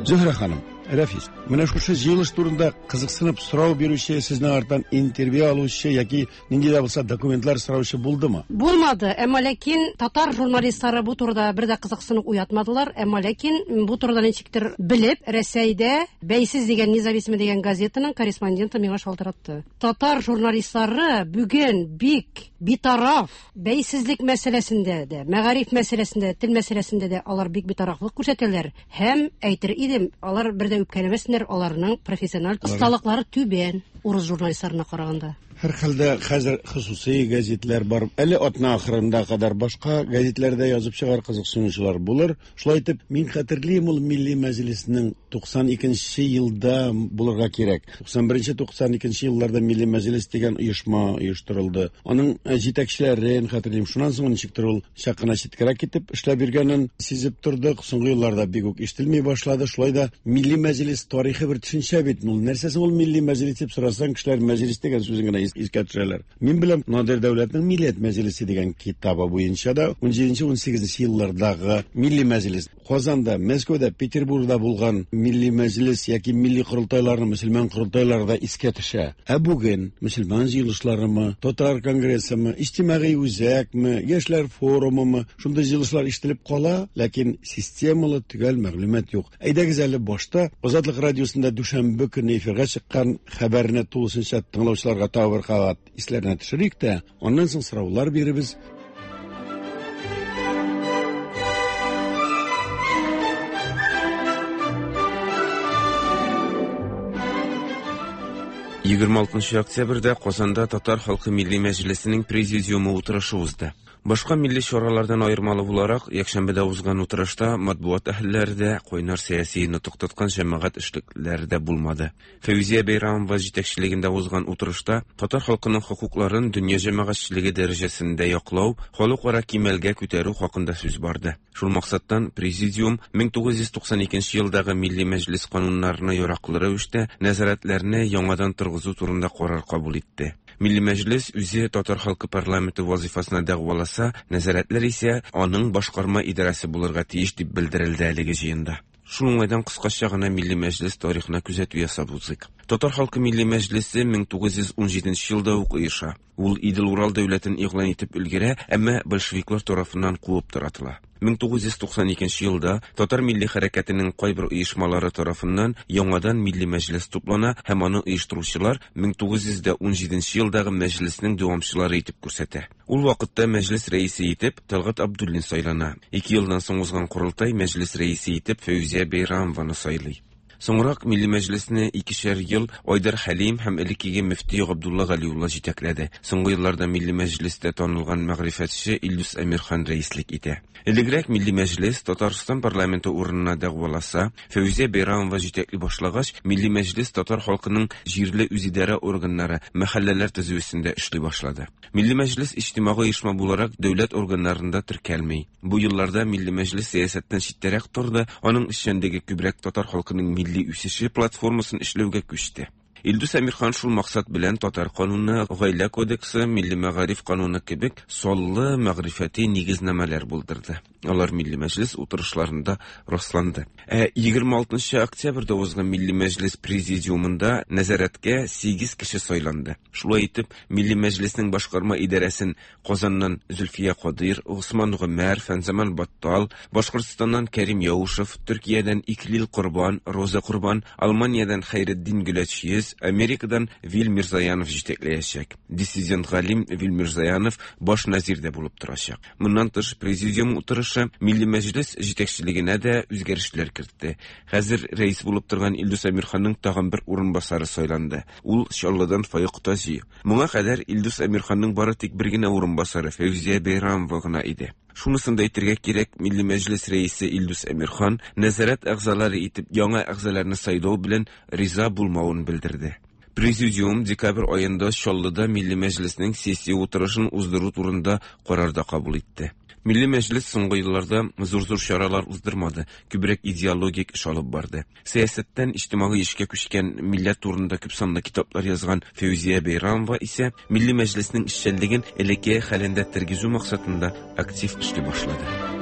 Зөһрә ханым, Рәфис, менә шушы җыелыш турында кызыксынып сорау бирүче, сезнең арттан интервью алучы яки нинди дә булса документлар сораучы булдымы? Булмады, әмма ләкин татар журналистлары бу турыда бер дә кызыксынып уятмадылар, әмма ләкин бу турыда ничектер белеп, Рәсәйдә Бәйсез дигән, Независимый дигән газетаның корреспонденты миңа шалтыратты. Татар журналистлары бүген бик битараф, бәйсезлек мәсьәләсендә дә, мәгариф мәсьәләсендә, тел мәсьәләсендә дә алар бик битарафлык күрсәтәләр. Һәм әйтер идем, алар бер дә үпкәләмәсеннәр, аларның профессиональ осталыклары түбән урыс журналистларына караганда. Һәр хәлдә хәзер хосусый гәзитләр бар. Әле атна ахырында кадәр башка гәзитләрдә язып чыгар кызыксынучылар булыр. Шулай итеп, мин хәтерлим, ул Милли мәҗлиснең туксан икенче елда булырга кирәк. туксан беренче туксан икенче елларда Милли мәҗлис дигән оешма оештырылды. Аның җитәкчеләрен хәтерлим. Шуннан соң ничектер ул чак кына читкәрәк китеп эшләп йөргәнен сизеп тордык. Соңгы елларда бик үк ишетелми башлады. Шулай да Милли мәҗлис тарихы бер төшенчә бит. Ул нәрсәсе ул Милли мәҗлис дип сорасаң, кешеләр мәҗлис дигән сүзен генә искә төшерәләр. Мин беләм, Надир Дәүләтнең Милләт мәҗлисе дигән китабы буенча да ун җиденче ун сигезенче еллардагы Милли мәҗлис Казанда, Мәскәүдә, Петербургда булган Милли мәҗлис яки милли корылтайларны, мөселман корылтайлары да искә төшә. Ә бүген мөселман җыелышларымы, татар конгрессымы, иҗтимагый үзәкме, яшьләр форумымы, шундый җыелышлар ишетелеп кала, ләкин системалы төгәл мәгълүмат юк. Әйдәгез әле башта Азатлык радиосында дүшәмбе көне эфирга чыккан хәбәрне тулысынча тыңлаучыларга тагы бер кабат исләренә төшерик тә, аннан соң сораулар биребез. Егерме алтынчы октябрьдә Казанда Татар халкы милли мәҗлисенең президиумы утырышы узды. Башка милли чаралардан аермалы буларак, якшәмбедә узган утырышта матбугат әһелләре дә, кайнар сәяси нотык тоткан җәмәгать эшлеклеләре дә булмады. Фәүзия Бәйрамова җитәкчелегендә узган утырышта татар халкының хокукларын дөнья җәмәгатьчелеге дәрәҗәсендә яклау, халыкара кимәлгә күтәрү хакында сүз барды. Шул максаттан президиум мең тугыз йөз туксан икенче елдагы Милли мәҗлис кануннарына яраклы рәвештә нәзарәтләрне яңадан торгызу турында карар кабул итте. Милли мәҗлис үзе татар халкы парламенты вазифасына дәгъваласа, нәзарәтләр исә аның башкарма идарәсе булырга тиеш дип белдерелде әлеге җыенда. Шул уңайдан кыскача гына Милли мәҗлис тарихына күзәтү ясап узыйк. Татар халкы Милли мәҗлисе мең тугыз йөз ун җиденче елда ук оеша. Ул Идел-Урал дәүләтен игълан итеп өлгерә, әмма большевиклар тарафыннан куып таратыла. Мең тугыз йөз туксан икенче елда татар милли хәрәкәтенең кайбер оешмалары тарафыннан яңадан Милли мәҗлис туплана һәм аны оештыручылар мең тугыз йөз ун җиденче елдагы мәҗлиснең дәвамчылары итеп күрсәтә. Ул вакытта мәҗлис рәисе итеп Талгат Абдуллин сайлана. Ике елдан соң узган корылтай мәҗлис рәисе итеп Фәүзия Бәйрамованы сайлый. Соңрак Милли мәҗлисне икешәр ел Айдар Хәлим һәм элеккеге мөфти Габдулла Галиулла җитәкләде. Соңгы елларда Милли мәҗлистә танылган мәгърифәтче Илдус Әмирхан рәислек итә. Элегрәк Милли мәҗлис Татарстан парламенты урынына дәгъваласа, Фәүзия Бәйрамова җитәкли башлагач, Милли мәҗлис татар халкының җирле үзидарә органнары, мәхәлләләр төзүендә эшли башлады. Милли мәҗлис иҗтимагый оешма буларак дәүләт органнарында теркәлми. Бу елларда Милли мәҗлис сәясәттән читтәрәк торды, аның эшчәнлеге күбрәк татар халкының милли үсеше платформасын эшләүгә күчте. Илдус Әмирхан шул максат белән Татар кануны, Гаилә кодексы, Милли мәгариф кануны кебек саллы мәгърифәти нигезнамәләр булдырды. Алар Милли Мәҗлес утырышларында расланды. Ә егерме алтынчы октябрьдә узган Милли Мәҗлес президиумында нәзарәткә сигез кеше сайланды. Шулай итеп, Милли Мәҗлеснең башкарма идарәсен Казаннан Зөлфия Кадыйр, Госман Гомәр, Фәнзаман Баттал, Башкортстаннан Кәрим Яушев, Төркиядән Иклил Корбан, Роза Корбан, Алманиядән Хәйретдин Гөләчйөз, Америкадан Вил Мирзаянов җитәкләячәк. Диссидент галим Вил Мирзаянов баш назир дә булып торачак. Моннан тыш президиум утырышы Милли Мәҗлес җитәкчелегенә дә үзгәрешләр кертте. Хәзер рәис булып торган Илдус Әмирханның тагын бер урынбасары сайланды. Ул Чаллыдан Файык Таҗи. Моңа кадәр Илдус Әмирханның бары тик бер генә урынбасары Фәүзия Бәйрамова гына иде. Шунысын да әйтергә кирәк, Милли Мәҗлес рәисе Илдус Әмирхан нәзарәт әгъзалары итеп яңа әгъзаларны сайлау белән риза булмавын белдерде. Президиум декабрь аенда Чаллыда Милли Мәҗлеснең сессия утырышын уздыру турында карар да кабул итте. Милли Мәҗлес соңгы елларда зур-зур чаралар уздырмады, күбрәк идеологик эш алып барды. Сәясәттән иҗтимагый эшкә күчкән милләт турында күп санлы китаплар язган Фәүзия Бәйрамова исә Милли Мәҗлеснең эшчәнлеген элекке хәлендә тергезү максатында актив эшли башлады.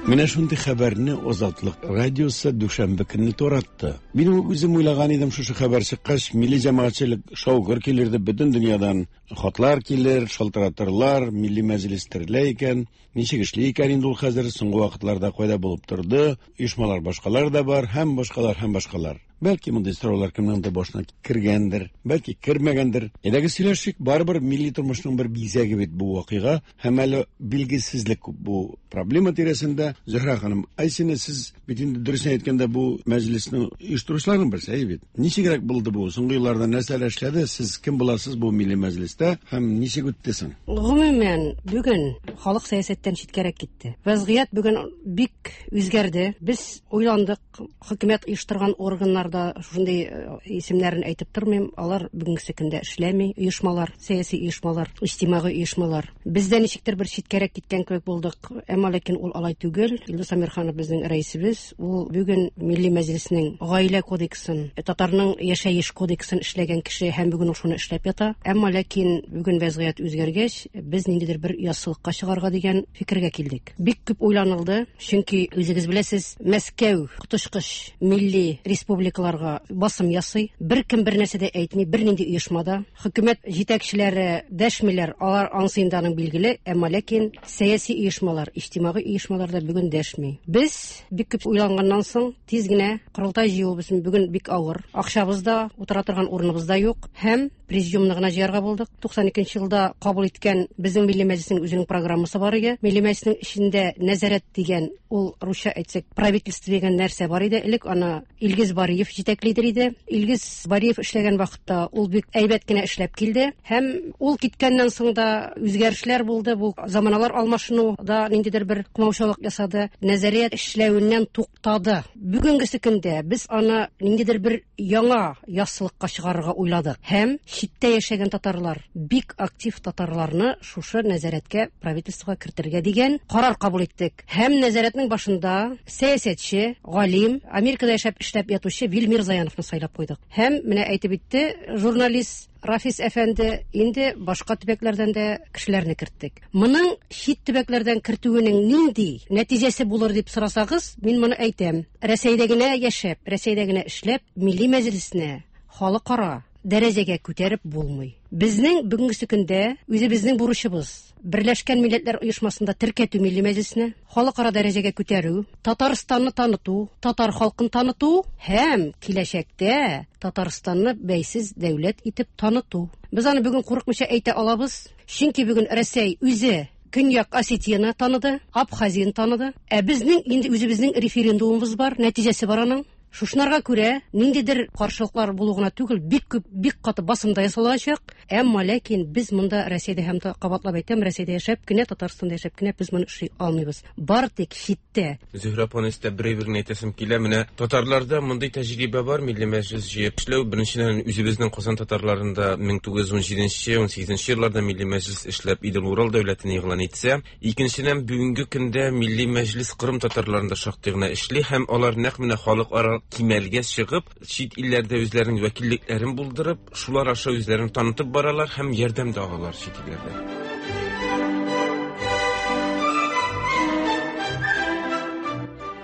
Менә шундый хәбәрне Азатлык радиосы дүшәмбе көнне таратты. Мин үзем уйлаган идем, шушы хәбәр чыккач, милли җәмәгатьчелек шаугыр килер дип, бөтен дөньядан хатлар килер, шалтыратырлар, Милли Мәҗлес терелә икән, ничек эшли икән инде ул хәзер, соңгы вакытларда кайда булып торды, оешмалар башкалар да бар, һәм башкалар, һәм башкалар. Бәлки мондый сораулар кемнеңдер башына кергәндер, бәлки кермәгәндер. Әйдәгез сөйләшик, барыбер милли тормышның бер бизәге бит бу вакыйга, һәм әле билгесезлек күп бу проблема тирәсендә. Зөһрә ханым, Айсина, сез бит инде дөресен әйткәндә бу мәҗлеснең оештыручыларының берсе, әйе бит. Ничегрәк булды бу? Соңгы елларда нәрсәләр эшләде? Сез кем буласыз бу милли мәҗлестә һәм ничек үтте соң? Гомумән, бүген халык сәясәттән читкәрәк китте. Вазгыять бүген бик үзгәрде. Без уйландык, хөкүмәт оештырган органнар да шундый исемнәрен әйтеп тормыйм, алар бүгенге көндә эшләми, оешмалар, сәяси оешмалар, иҗтимагый оешмалар. Бездә ничектер бер читкәрәк киткән кебек булдык, әмма ләкин ул алай түгел. Илдус Әмирханов безнең рәисебез, ул бүген Милли Мәҗлеснең гаилә кодексын, татарның яшәеш кодексын эшләгән кеше һәм бүген ул шуны эшләп ята. Әмма ләкин бүген вазгыять үзгәргәч, без ниндидер бер яссылыкка чыгарга дигән фикергә килдек. Бик күп уйланылды, чөнки үзегез беләсез, Мәскәү коточкыч милли республика басым ясый. Бер кем бер нәрсә дә әйтми, бер нинди оешмада. Хөкүмәт җитәкчеләре дәшмиләр, алар ансы инде аның билгеле, әмма ләкин сәяси оешмалар, иҗтимагый оешмалар да бүген дәшми. Без бик күп уйланганнан соң тиз генә корылтай җыюыбыз бүген бик авыр. Акчабыз да, утыра торган урыныбыз да юк һәм президиумны гына җыярга булдык. туксан икенче елда кабул иткән безнең Милли Мәҗлеснең үзенең программасы бар иде. Милли Мәҗлеснең эчендә нәзарәт дигән, ул русча әйтсәк, правительство дигән нәрсә бар иде. Элек аны Илгиз Бариев җитәклидер иде. Илгиз Бариев эшләгән вакытта ул бик әйбәт кенә эшләп килде һәм ул киткәннән соң да үзгәрешләр булды. Бу заманалар алмашыну да ниндидер бер комаучалык ясады. Нәзарият эшләвеннән туктады. Бүгенгесе көндә без аны ниндидер бер яңа яссылыкка чыгарырга уйладык һәм читтә яшәгән татарлар, бик актив татарларны шушы нәзарәткә, правительствога кертергә дигән карар кабул иттек. Һәм нәзарәтнең башында сәясәтче, галим, Америкада яшәп эшләп ятучы Вил Мирзаяновны сайлап куйдык. Һәм менә әйтеп үтте журналист Рафис әфәнде, инде башка төбәкләрдән дә кешеләрне керттек. Моның чит төбәкләрдән кертүенең нинди нәтиҗәсе булыр дип сорасагыз, мин моны әйтәм. Рәсәйдә генә яшәп, Рәсәйдә генә эшләп, Милли Мәҗлесне халыкара дәрәҗәгә күтәреп булмый. Безнең бүгенге көндә үзебезнең бурычыбыз Берләшкән Милләтләр Оешмасында теркәтү Милли Мәҗлесне, халыкара дәрәҗәгә күтәрү, Татарстанны таныту, татар халкын таныту һәм киләчәктә Татарстанны бәйсез дәүләт итеп таныту. Без аны бүген курыкмыйча әйтә алабыз, чөнки бүген Рәсәй үзе Көньяк Осетияны таныды, Абхазияны таныды. Ә безнең инде үзебезнең референдумыбыз бар, нәтиҗәсе бар аның. Шушынарга күрә ниндидер каршылыклар булу гына түгел, бик күп, бик каты басым да ясалачак. Әмма ләкин без монда Россиядә һәм кабатлап әйтәм, Россиядә яшәп кенә, Татарстанда яшәп кенә без моны эшли алмыйбыз. Бар тик читтә. Зөһрә апаны өстәп бер әйберне әйтәсем килә. Менә татарларда мондый тәҗрибә бар, милли мәҗлес җыеп эшләү. Беренчедән, үзебезнең Казан татарларында мең тугыз йөз унҗиденче, унсигезенче елларда милли мәҗлес эшләп Идел-Урал дәүләтен игълан итсә, икенчедән, бүгенге көндә милли мәҗлес Кырым татарларында шактый гына эшли һәм алар нәкъ менә халыкара кимәлгә чыгып, чит илләрдә үзләренең вәкиллекләрен булдырып, шулар аша үзләрен танытып баралар һәм ярдәм дә алалар чит илләрдә.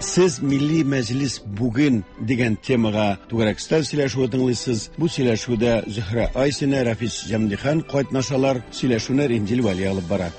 Сез Милли Мәҗлес бүген дигән темага түгәрәк өстәл сөйләшүе тыңлыйсыз. Бу сөйләшүдә Зөһрә Айсина, Рафис Җәмдихан катнашалар. Сөйләшүне Римзил Вәли алып бара.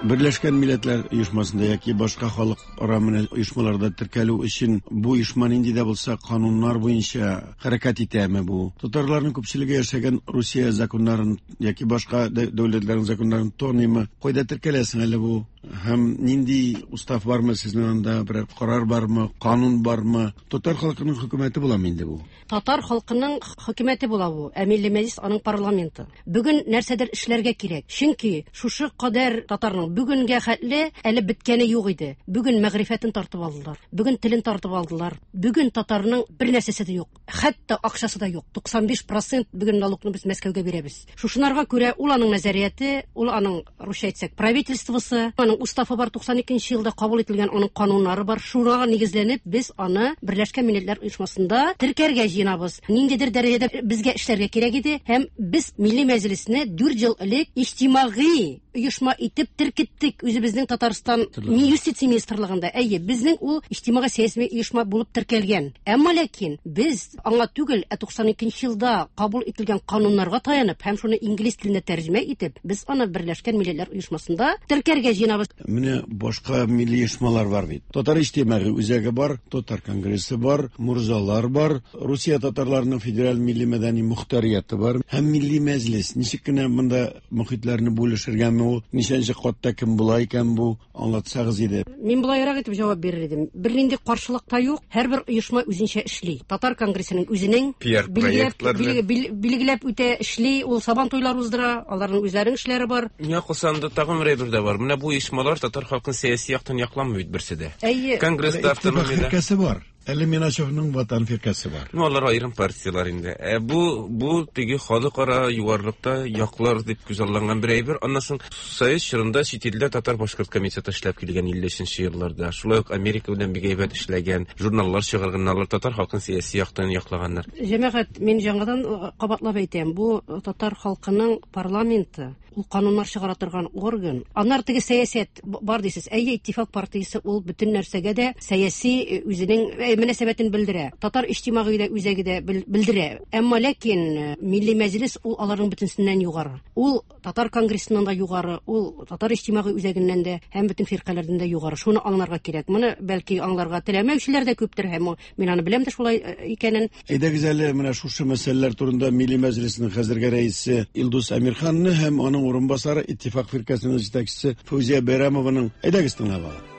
Берләшкән Милләтләр Оешмасында яки башка халыкара оешмаларда теркәлү өчен бу оешма нинди дә булса кануннар буенча хәрәкәт итәме бу? Татарларның күпчелеге яшәгән Русия законнарын яки башка дәүләтләрнең законнарын таныймы? Кайда теркәләсең әле бу? Һәм нинди устав бармы сезнең анда, берәр карар бармы, канун бармы? Татар халкының хөкүмәте буламы инде бу? Татар халкының хөкүмәте була бу. Ә Милли Мәҗлес аның парламенты. Бүген нәрсәдер эшләргә кирәк. Чөнки шушы кадәр татарның бүгенгә хәтле әле беткәне юк иде. Бүген мәгърифәтен тартып алдылар. Бүген телен тартып алдылар. Бүген татарның бер нәрсәсе дә юк. Хәтта акчасы да юк. туксан биш процент бүген налогны без Мәскәүгә бирәбез. Шушынарга күрә ул аның нәзарияте, ул аның русча әйтсәк правительствосы, аның уставы бар, туксан икенче елда кабул ителгән аның кануннары бар. Шуңа нигезләнеп без аны Берләшкән Милләтләр Оешмасында теркәргә җыенабыз. Ниндидер дәрәҗәдә безгә эшләргә кирәк иде һәм без Милли Мәҗлесне дүрт ел элек иҗтимагый оешма итеп теркеттек үзебезнең Татарстан юстиция министрлыгында. Әйе, безнең ул иҗтимагый сәяси оешма булып теркәлгән. Әмма ләкин без аңа түгел, ә туксан икенче елда кабул ителгән кануннарга таянып һәм шуны инглиз теленә тәрҗемә итеп, без аны Берләшкән Милләтләр Оешмасында теркәргә җыенабыз. Менә башка милли оешмалар бар бит. Татар иҗтимагый үзәге бар, Татар конгрессы бар, мурзалар бар, Русия татарларының федераль милли мәдәни мөхтәрияте бар һәм Милли Мәҗлес. Ничек кенә монда мөхитләрне бүлешергәнме ул? Ничәнче катта кем була икән бу? Аңлатсагыз иде. Мин болайрак итеп җавап бирер идем. Бернинди каршылык та юк. Һәрбер оешма үзенчә эшли. Татар конгрессының үзенең билгеләп билгеләп үтә эшли, ул сабан туйлар уздыра, аларның үзләренең эшләре бар. Миңа калсанда тагын бер әйбер дә бар. Менә бу оешмалар татар халкын сәяси яктан якламый бит берсе дә. Конгресста автономия бар. Әле Миначевның Ватан фиркәсе бар. Ну, алар аерым партиялар инде. Ә бу бу теге халыкара югарлыкта яклар дип күзалланган бер әйбер. Аннан соң Союз чорында чит илдә татар-башкорт комитеты эшләп килгән илле өченче елларда. Шулай ук Америка белән бик әйбәт эшләгән, журналлар чыгарганнар, татар халкын сәяси яктан яклаганнар. Җәмәгать, мин яңадан кабатлап әйтәм, бу татар халкының парламенты, ул кануннар чыгара торган орган. Аннар теге сәясәт бар дисез. Әйе, Иттифак партиясе ул бөтен нәрсәгә дә сәяси үзенең мөнәсәбәтен белдерә. Татар иҗтимагый да үзәге дә белдерә. Әмма ләкин Милли Мәҗлес ул аларның бөтенсеннән югары. Ул Татар конгрессыннан да югары, ул Татар иҗтимагый үзәгеннән дә һәм бөтен фиркаләрдән дә югары. Шуны аңларга кирәк. Моны бәлки аңларга теләмәүчеләр дә күптер һәм мин аны беләм дә шулай икәнен. Әйдәгез әле менә шушы мәсьәләләр турында Милли Мәҗлеснең хәзерге рәисе Илдус Әмирханны һәм аның урынбасары Иттифак фиркәсенең җитәкчесе Фәүзия Бәйрәмованың әйдәгез тыңлап алыйк.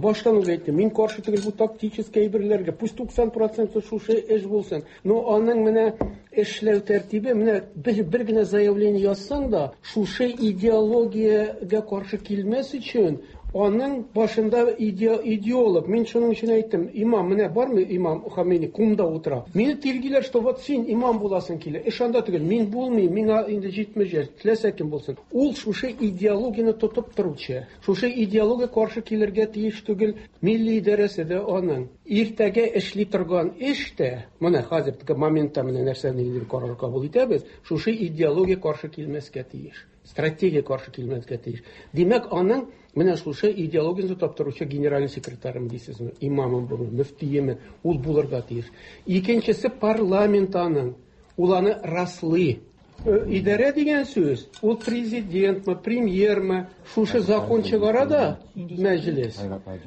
Баштан ук әйттем, мин каршы түгел бу тактический әйберләргә, пусть туксан процент шушы эш булсын. Но аның менә эшләү тәртибе, менә бер, бер генә заявление язсаң да, шушы идеологиягә каршы килмәс өчен аның башында иде, идеолог. Мин шуның өчен әйттем, имам, менә бармы имам Хомейни кумда утыра. Мине тиргиләр, что вот син имам буласың килә. Эш анда түгел, мин булмыйм, миңа инде җитмеш яшь, теләсә кем булсын. Ул шушы идеологияне тотып торучы. Шушы идеология каршы килергә тиеш түгел. Милли идарәсе дә аның. Иртәгә эшли торган эш тә, менә хәзерге моментта менә нәрсәне инде карар кабул итәбез, шушы идеология каршы килмәскә тиеш. Стратегия каршы килмәскә тиеш. Димәк, аның менә шушы идеологияне тотып торучы генеральный секретарым дисезме, имамым булыр, мөфтиеме, ул булырга тиеш. Икенчесе парламент аның, ул аны раслый. Идарә дигән сүз, ул президентмы, премьермы, шушы закон чыгара да мәҗлес.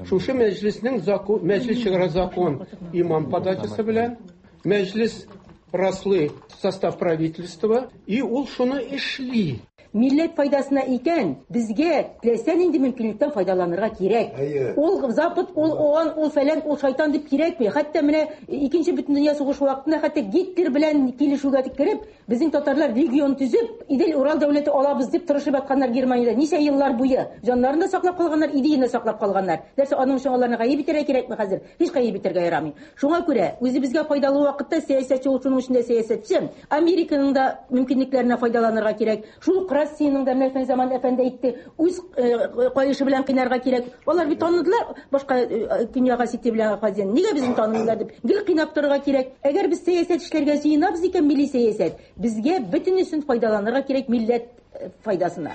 Шушы мәҗлеснең закон, мәҗлес чыгара закон имам подачасы белән, мәҗлес раслый состав правительства, и ул шуны эшли. Милләт файдасына икән, безгә теләсә нинди мөмкинлектән файдаланырга кирәк. Ул Запад, ул ООН, ул фәлән, ул шайтан дип кирәкми. Хәтта менә икенче бөтендөнья сугышы вакытында хәтта Гитлер белән килешүгә кереп, безнең татарлар легион төзеп, Идел-Урал дәүләте алабыз дип тырышып ятканнар Германиядә ничә еллар буе. Җаннарын да саклап калганнар, идеяны да саклап калганнар. Нәрсә аның өчен аларны гаеп итәргә кирәкме хәзер? Һич гаеп итәргә ярамый. Шуңа күрә үзебезгә файдалы вакытта сәясәтче ул, шуның өчен дә сәясәтче, Американың да мөмкинлекләренә файдаланырга кирәк. Шул ук Россиянең дә менә Фәнзаман әфәнде әйтте, үз каешы белән кыйнарга кирәк. Алар бит таныдылар башка Көньяк Осетия белән Абхазияне. Нигә безне танымыйлар дип гел кыйнап торырга кирәк. Әгәр без сәясәт эшләргә җыенабыз икән, милли сәясәт, безгә бөтенесен файдаланырга кирәк милләт файдасына.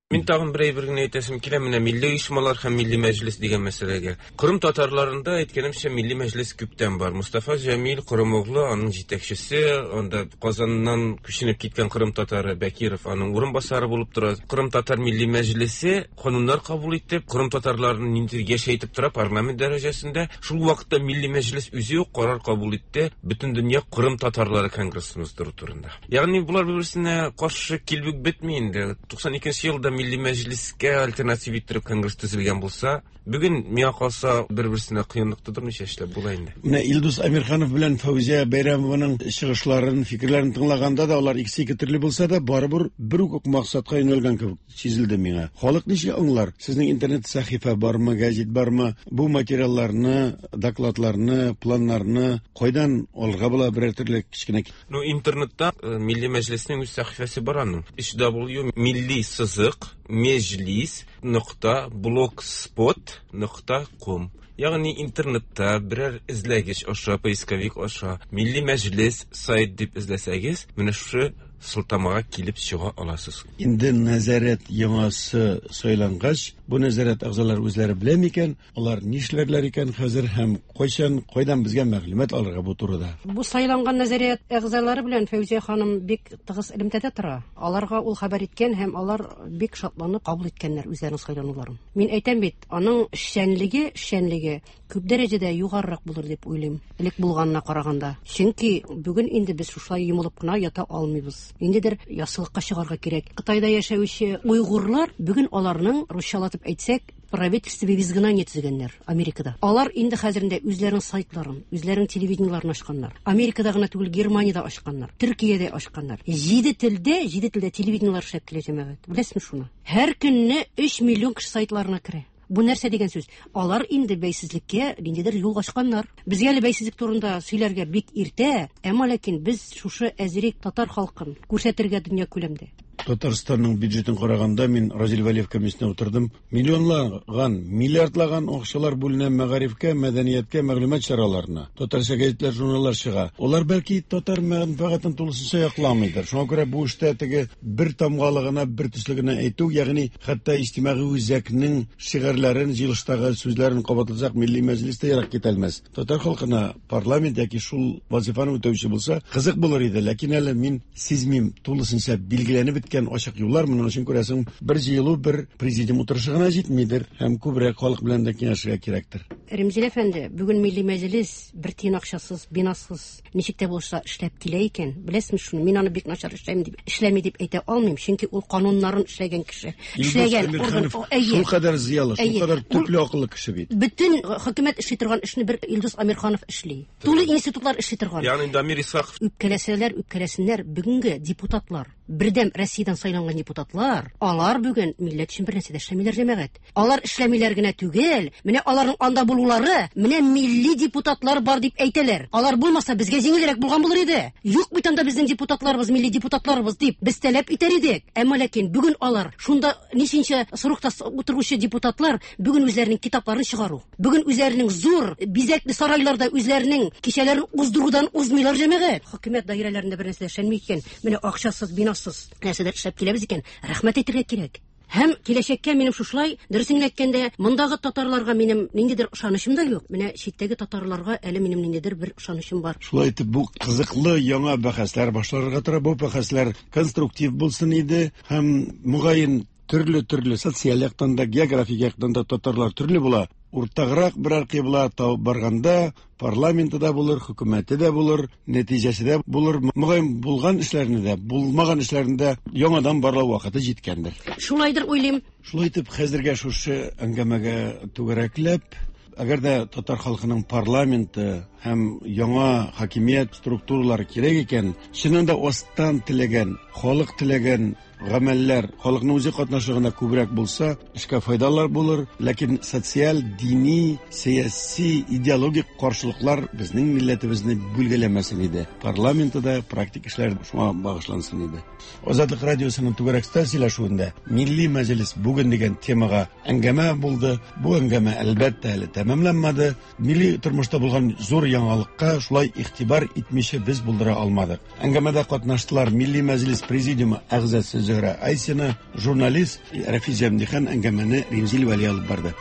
Мин тагын бер әйбер генә әйтәсем килә, менә милли оешмалар һәм милли мәҗлес дигән мәсьәләгә. Кырым татарларында әйткәнемчә милли мәҗлес күптән бар. Мустафа Җәмил Кырымоглы аның җитәкчесе, анда Казаннан күченеп киткән Кырым татары Бәкиров аның урынбасары булып тора. Кырым татар милли мәҗлесе кануннар кабул итеп, Кырым татарларын ниндидер яшәйтеп тора парламент дәрәҗәсендә. Шул вакытта милли мәҗлес үзе үк карар кабул итте Бөтен дөнья Кырым татарлары конгрессын уздыру турында. Ягъни булар бер-берсенә каршы килеп бетми инде. туксан икенче елда милли мәҗлескә альтернатив иттереп конгресс төзелгән булса, бүген миңа калса бер-берсенә кыенлык тудырмыйча эшләп була инде. Менә Илдус Әмирханов белән Фәүзия Бәйрәмованың чыгышларын, фикерләрен тыңлаганда да алар икесе ике төрле булса да, барыбер бер үк максатка юнәлгән кебек сизелде миңа. Халык ничек аңлар? Сезнең интернет сәхифә бармы, гәзит бармы? Бу материалларны, докладларны, планнарны кайдан алырга була берәр төрле кечкенә? Ну, интернетта Милли мәҗлеснең үз сәхифәсе бар аның. өч дабл ю милли сызык межлис нокта блогспот нокта ком. Ягъни интернетта берәр эзләгеч аша, поисковик аша Милли мәҗлес сайт дип эзләсәгез, менә шушы сылтамага килеп чыга аласыз. Инде нәзарәт яңасы сайлангач, бу нәзарәт әгъзалары үзләре белә микән, алар нишләрләр икән хәзер һәм кайчан, кайдан безгә мәгълүмат алырга бу турыда? Бу сайланган нәзарәт әгъзалары белән Фәүзия ханым бик тыгыз элемтәдә тора. Аларга ул хәбәр иткән һәм алар бик шатланып кабул иткәннәр үзләренең сайлануларын. Мин әйтәм бит, аның эшчәнлеге, эшчәнлеге күп дәрәҗәдә югарырак булыр дип уйлыйм, элек булганына караганда. Чөнки бүген инде без шушылай йомылып кына ята алмыйбыз. Ниндидер яссылыкка чыгарга кирәк. Кытайда яшәүче уйгурлар бүген аларның русчалатып әйтсәк, правительство в изгнании төзегәннәр Америкада. Алар инде хәзерендә үзләренең сайтларын, үзләренең телевидениеларын ачканнар. Америкада гына түгел, Германиядә ачканнар, Төркиядә ачканнар. Җиде телдә, җиде телдә телевидениелар эшләп килә җәмәгать. Беләсезме шуны? Һәр көнне өч миллион кеше сайтларына керә. Бу нәрсә дигән сүз? Алар инде бәйсезлеккә ниндидер юл ачканнар. Безгә әле бәйсезлек турында сөйләргә бик иртә, әмма ләкин без шушы әзерәк татар халкын күрсәтергә дөнья күләмдә. Татарстанның бюджетын караганда мин Разил Вәлиев комиссиясенә утырдым. Миллионлаган, миллиардлаган акчалар бүленә мәгарифкә, мәдәнияткә, мәгълүмат чараларына. Татарча гәзитләр, журналлар чыга. Алар бәлки татар мәнфәгатен тулысынча якламыйдыр. Шуңа күрә бу эштә теге бер тамгалыгына, бер төслегенә әйтү, ягъни хәтта иҗтимагый үзәкнең шигарьләрен, җыелыштагы сүзләрен кабатласак, Милли мәҗлес тә ерак китә алмас. Татар халкына парламент яки шул вазифаны үтәүче булса, кызык булыр иде. Ләкин әле мин сизмим, тулысынча билгеләнеп беткән ачык юллар. Моның өчен күрәсең, бер җыелу, бер президиум утырышы гына җитмидер һәм күбрәк халык белән дә киңәшергә кирәктер. Ремзил әфәнде, бүген Милли мәҗлес бер тиен акчасыз, бинасыз, ничек тә булса эшләп килә икән. Беләсезме шуны? Мин аны бик начар эшләйм дип, эшләми дип әйтә алмыйм, чөнки ул кануннарын эшләгән кеше. Эшләгән орган, шул кадәр зыялы, шул кадәр төпле акыллы кеше бит. Бөтен хөкүмәт эшли торган эшне бер Илдус Әмирханов эшли. Тулы институтлар эшли торган. Ягъни Дамир Исхаков. Үпкәләсәләр, үпкәләсеннәр, бүгенге депутатлар, Бердәм Россиядән сайланган депутатлар, алар бүген милләт өчен бер нәрсә дә эшләмиләр җәмәгать. Алар эшләмиләр генә түгел, менә аларның анда булулары, менә милли депутатлар бар дип әйтәләр. Алар булмаса безгә җиңелрәк булган булыр иде. Юк бит анда безнең депутатларыбыз, милли депутатларыбыз дип без таләп итәр идек. Әмма ләкин бүген алар шунда ничәнче срокта утыручы депутатлар бүген үзләренең китапларын чыгару, бүген үзләренең зур бизәкле сарайларда үзләренең кичәләрен уздырудан узмыйлар җәмәгать. Хөкүмәт даирәләрендә бер нәрсә эшләнми икән, менә акчасыз, бинасыз нәрсәләр эшләп киләбез икән, рәхмәт әйтергә кирәк. Һәм киләчәккә минем шушылай, дөресен генә әйткәндә, мондагы татарларга минем ниндидер ышанычым да юк. Менә читтәге татарларга әле минем ниндидер бер ышанычым бар. Шулай итеп, бу кызыклы яңа бәхәсләр башларга тора. Бу бәхәсләр конструктив булсын иде һәм мөгаен төрле-төрле социаль яктан да, географик яктан да татарлар төрле була. Уртаграк берәр кыйбла табып барганда, парламенты да булыр, хөкүмәте дә булыр, нәтиҗәсе дә булыр. Мөгаен булган эшләрне дә, булмаган эшләрне дә яңадан барлау вакыты җиткәндер. Шулайдыр уйлыйм. Шулай итеп, хәзергә шушы әңгәмәгә түгәрәкләп, әгәр дә татар халкының парламенты һәм яңа хакимият структуралары кирәк икән, чыннан да астан теләгән, халык теләгән гамәлләр халыкның үзе катнашлыгында күбрәк булса, эшкә файдалар булыр, ләкин социаль, дини, сәяси, идеологик каршылыклар безнең милләтебезне бүлгәләмәсен иде. Парламенты да практик эшләр шуңа багышлансын иде. Азатлык радиосының түгәрәк өстәл сөйләшүендә Милли мәҗлес бүген дигән темага әңгәмә булды. Бу әңгәмә әлбәттә әле тәмамланмады. Милли тормышта булган зур яңалыкка шулай игътибар итмичә без булдыра алмадык. Әңгәмәдә катнаштылар Милли мәҗлес президиумы әгъзасы Зөһрә Айсина, журналист Рафис Җәмдихан, әңгәмәне Римзил Вәли алып барды.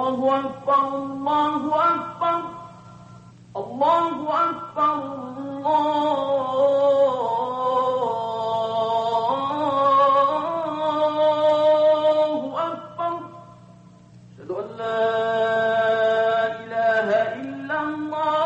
Allahu Akbar, Allahu Akbar, Allahu Akbar, Allahu Akbar. Ashhadu an la ilaha illallah.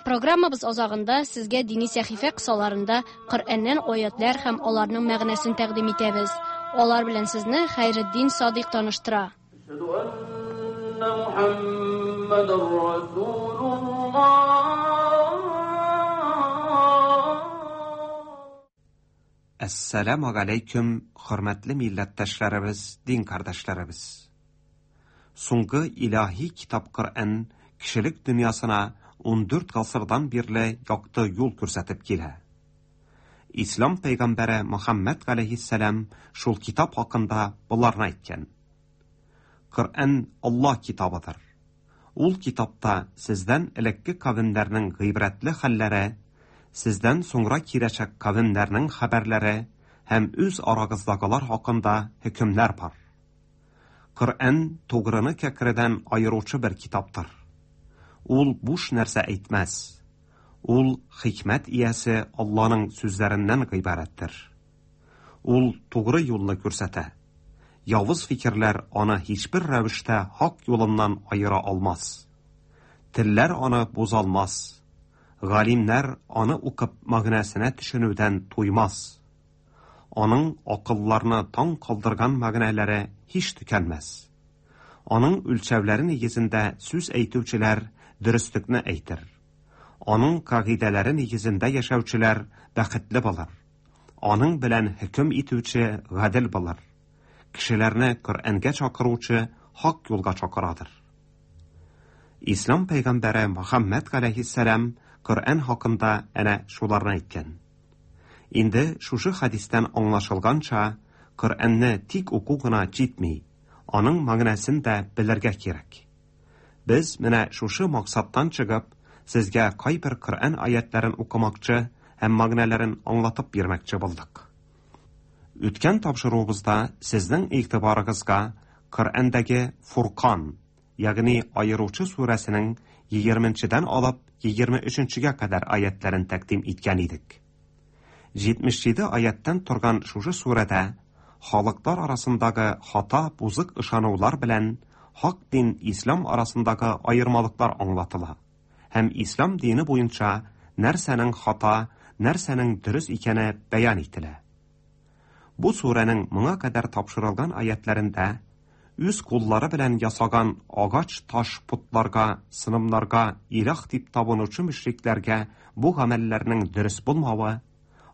Программабыз азагында сезгә дини сәхифә кысаларында Коръәннән аятлар һәм аларның мәгънәсен тәкъдим итәбез. Алар белән сезне Хәйретдин Садыйк таныштыра. أشهد أن محمد رسول الله. Әссәламу алейкум, хөрмәтле милләттәшләребез, дин кардәшләребез. Соңгы илаһи китап Коръән кешелек дөньясына ун дүрт гасырдан бирле якты юл күрсәтеп килә. Ислам пәйгамбәре Мөхәммәд галәйһиссәлам шул китап хакында боларны әйткән. Коръән Аллаһ китабыдыр. Ул китапта сездән элекке кавемнәрнең гыйбрәтле хәлләре, сездән соңра киләчәк кавемнәрнең хәбәрләре һәм үз арагыздагылар хакында хөкемнәр бар. Коръән тугрыны кәкредән аеручы бер китаптыр. Ул буш нәрсә әйтмәс. Ул хикмәт иясе Аллаһның сүзләреннән гыйбарәттер. Ул тугры юлны күрсәтә. Явыз фикерләр аны һичбер рәвештә хак юлыннан аера алмас. Телләр аны бозалмас. Галимнәр аны укып мәгънәсенә төшенүдән туймас. Аның акылларны таң калдырган мәгънәләре һич төкәнмәс. Аның үлчәүләре нигезендә сүз әйтүчеләр дөреслекне әйтер. Аның кагыйдәләре нигезендә яшәүчеләр бәхетле булыр. Аның белән хөкем итүче гадел булыр. Кешеләрне Коръәнгә чакыручы хак юлга чакырадыр. Ислам пәйгамбәре Мөхәммәд галәйһиссәлам Коръән хакында әнә шуларны әйткән. Инде шушы хәдистән аңлашылганча, Коръәнне тик уку гына җитми, аның мәгънәсен дә белергә кирәк. Без менә шушы максаттан чыгып, сезгә кайбер Коръән аятларын укымакчы һәм мәгънәләрен аңлатып бирмәкче булдык. Үткән тапшыруыбызда сезнең игътибарыгызга Коръәндәге Фуркан, ягъни Аеручы сүрәсенең егерменчедән алып егерме өченчегә кадәр аятларын тәкъдим иткән идек. Җитмеш җиде аяттан торган шушы сүрәдә халыклар арасындагы хата бузык ышанулар белән хак дин ислам арасындагы аермалыклар аңлатыла. Һәм ислам дине буенча нәрсәнең хата, нәрсәнең дөрес икәне бәян ителә. Бу сүрәнең моңа кадәр тапшырылган аятларында үз куллары белән ясаган агач таш путларга, сынымнарга илаһ дип табынучы мөшрикләргә бу гамәлләрнең дөрес булмавы,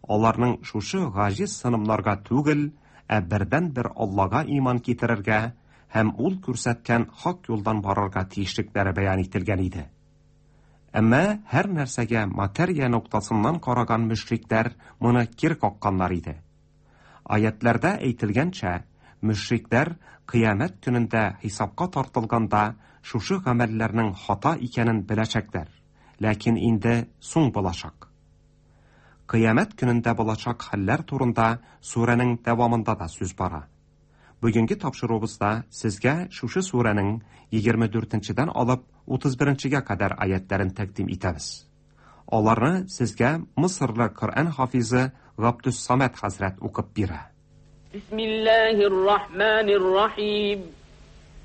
аларның шушы гаҗиз сынымнарга түгел, ә бердән-бер Аллага иман китерергә һәм ул күрсәткән хак юлдан барырга тиешлекләре бәян ителгән иде. Әмма һәр нәрсәгә материя ноктасыннан караган мөшрикләр моны кире какканнар иде. Аятларда әйтелгәнчә, мөшрикләр кыямәт көнендә хисапка тартылганда шушы гамәлләрнең хата икәнен беләчәкләр, ләкин инде соң булачак. Кыямәт көнендә булачак хәлләр турында сүрәнең дәвамында да сүз бара. Бүгенге тапшыруыбызда сезгә шушы сүрәнең егерме дүртенчедән алып утыз беренчегә кадәр аятларын тәкъдим итәбез. Аларны сезгә Мисырлы Коръән хафизы Габдус Самад хәзрәт укып бирә. Бисмиллаһир-рахманир-рахим.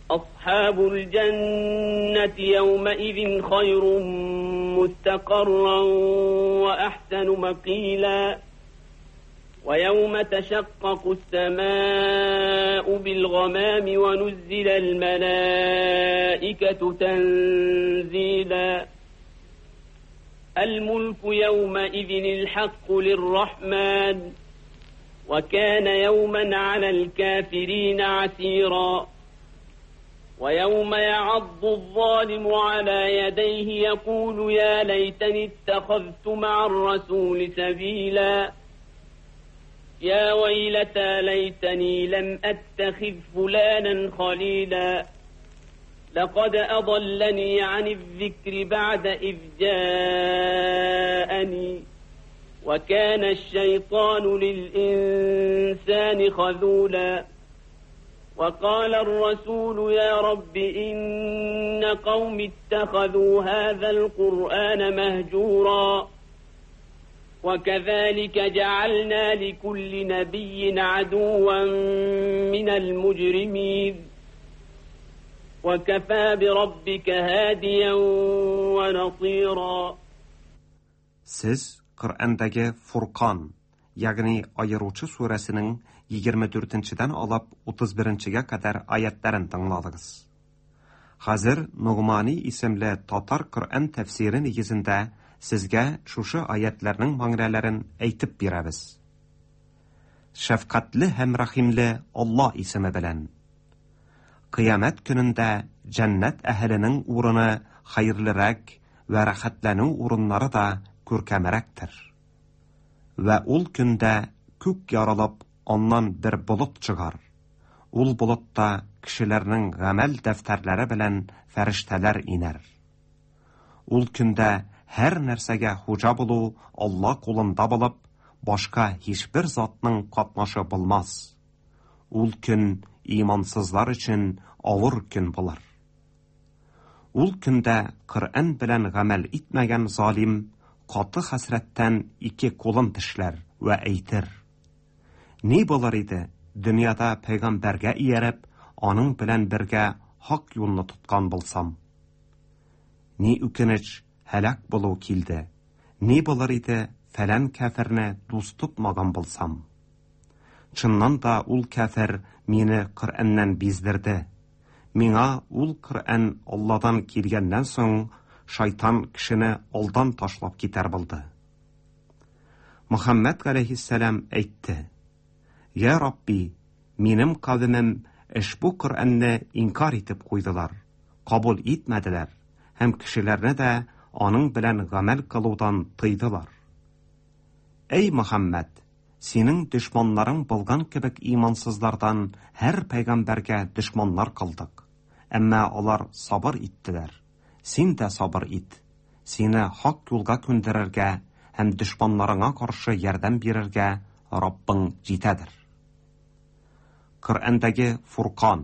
Асхабул җаннати яумаизин хайрун мустақарран ва ахсану мақила. ويوم تشقق السماء بالغمام ونزل الملائكة تنزيلا. الملك يومئذ الحق للرحمن وكان يوما على الكافرين عسيرا. ويوم يعض الظالم على يديه يقول يا ليتني اتخذت مع الرسول سبيلا. يا ويلتى ليتني لم أتخذ فلانا خليلا. لقد أضلني عن الذكر بعد إذ جاءني وكان الشيطان للإنسان خذولا. وقال الرسول يا رب إن قوم اتخذوا هذا القرآن مهجورا. وكذلك جعلنا لكل نبي عدوا من المجرمين. وكفى بربك هاديا ونصيرا. Siz Qur'ondagi Furqon, ya'ni ayiruvchi surasining yigirma to'rtinchidan olib o'ttiz birinchiga qadar oyatlarini tingladingiz. Hozir Nug'mani ismli tatar Qur'on tafsiri negizida sizga шушы oyatlarning ma'nolarini aytib beramiz. Shafqatli ham rahimli Alloh ismi bilan. Qiyomat kunida jannat ahlining o'rni xayrliroq va rahatlanuv o'rinlari da ko'rkamroqdir. Va ul kunda ko'k yorilib, ondan bir bulut chiqar. Ul bulutda kishilarning amal daftarlari bilan farishtalar inar. Ul kunda har narsaga xo'ja bo'luv Alloh qo'linda bo'lib, boshqa hech bir zotning qatnashi bo'lmas. Ul kun iymonsizlar uchun og'ir kun bo'lar. Ul kunda Qur'on bilan amal etmagan zolim qattiq hasratdan ikki qo'lin tishlar va aytir: Ne bo'lar edi dunyoda payg'ambarga erib, oning bilan birga haq yo'lni tutgan bo'lsam. Ne o'kinch halak bo'luv keldi. Ne bo'lar edi falan kafirni do'st tutmagan bo'lsam. Chindan da ul kafir meni Qur'ondan bezdirdi. Menga ul Qur'on Allohdan kelgandan so'ng shayton kishini oldan tashlab ketar bo'ldi. Muhammad alayhissalom aytdi: Ya Rabbi, menim qavmim ushbu Qur'onni inkor etib qo'ydilar, qabul etmadilar, ham kishilarni da oning bilan amal qiluvdan tiydilar. Ey Muhammad, sening dushmanlaring bo'lgan kibik iymonsizlardan har payg'ambarga dushmanlar qildik. Ammo ular sabr etdilar. Sen de sabr et. Seni haq yo'lga ko'ndirarga ham dushmanlaringga qarshi yordam berarga Robbing jetadir. Qur'ondagi Furqon,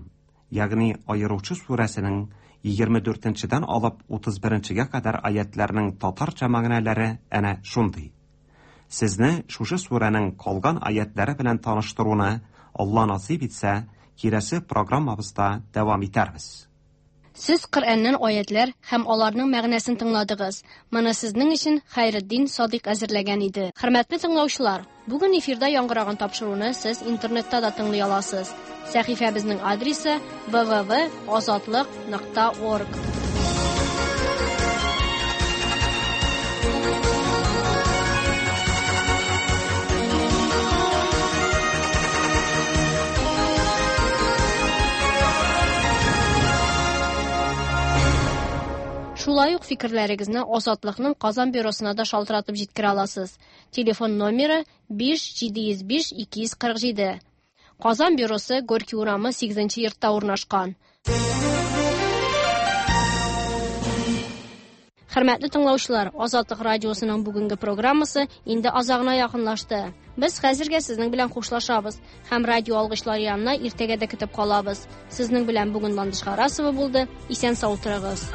ya'ni ayiruvchi surasining yigirma to'rtinchidan olib o'ttiz birinchiga qadar oyatlarning tatarcha ma'nolari ana shunday. Sizni шушы suraning qolgan oyatlari bilan tanishtiruvni Alloh nasib etsa, kelasi programmamizda davom etarmiz. Siz Qur'ondan oyatlar ham ularning ma'nosini tingladingiz. Mana sizning uchun Xayriddin Sodiq azirlagan edi. Hurmatli tinglovchilar, bugun efirda yangragan topshiruvni siz internetda da tinglay olasiz. Sahifamizning adresi w w w nokta ozodlik nokta org. Шулай ук фикерләрегезне Озатлыкның Казан бюросына да шалтыратып җиткерә аласыз. Телефон номеры биш җиде йөз биш ике йөз кырык җиде. Казан бюросы Горький урамы сигезенче йортта урнашкан. Хөрмәтле тыңлаучылар, Азатлык радиосының бүгенге программасы инде азагына якынлашты. Без хәзергә сезнең белән хушлашабыз һәм радио алгычлар янына иртәгә дә көтеп калабыз. Сезнең белән бүген Ландыш Харасова булды. Исән сау торыгыз.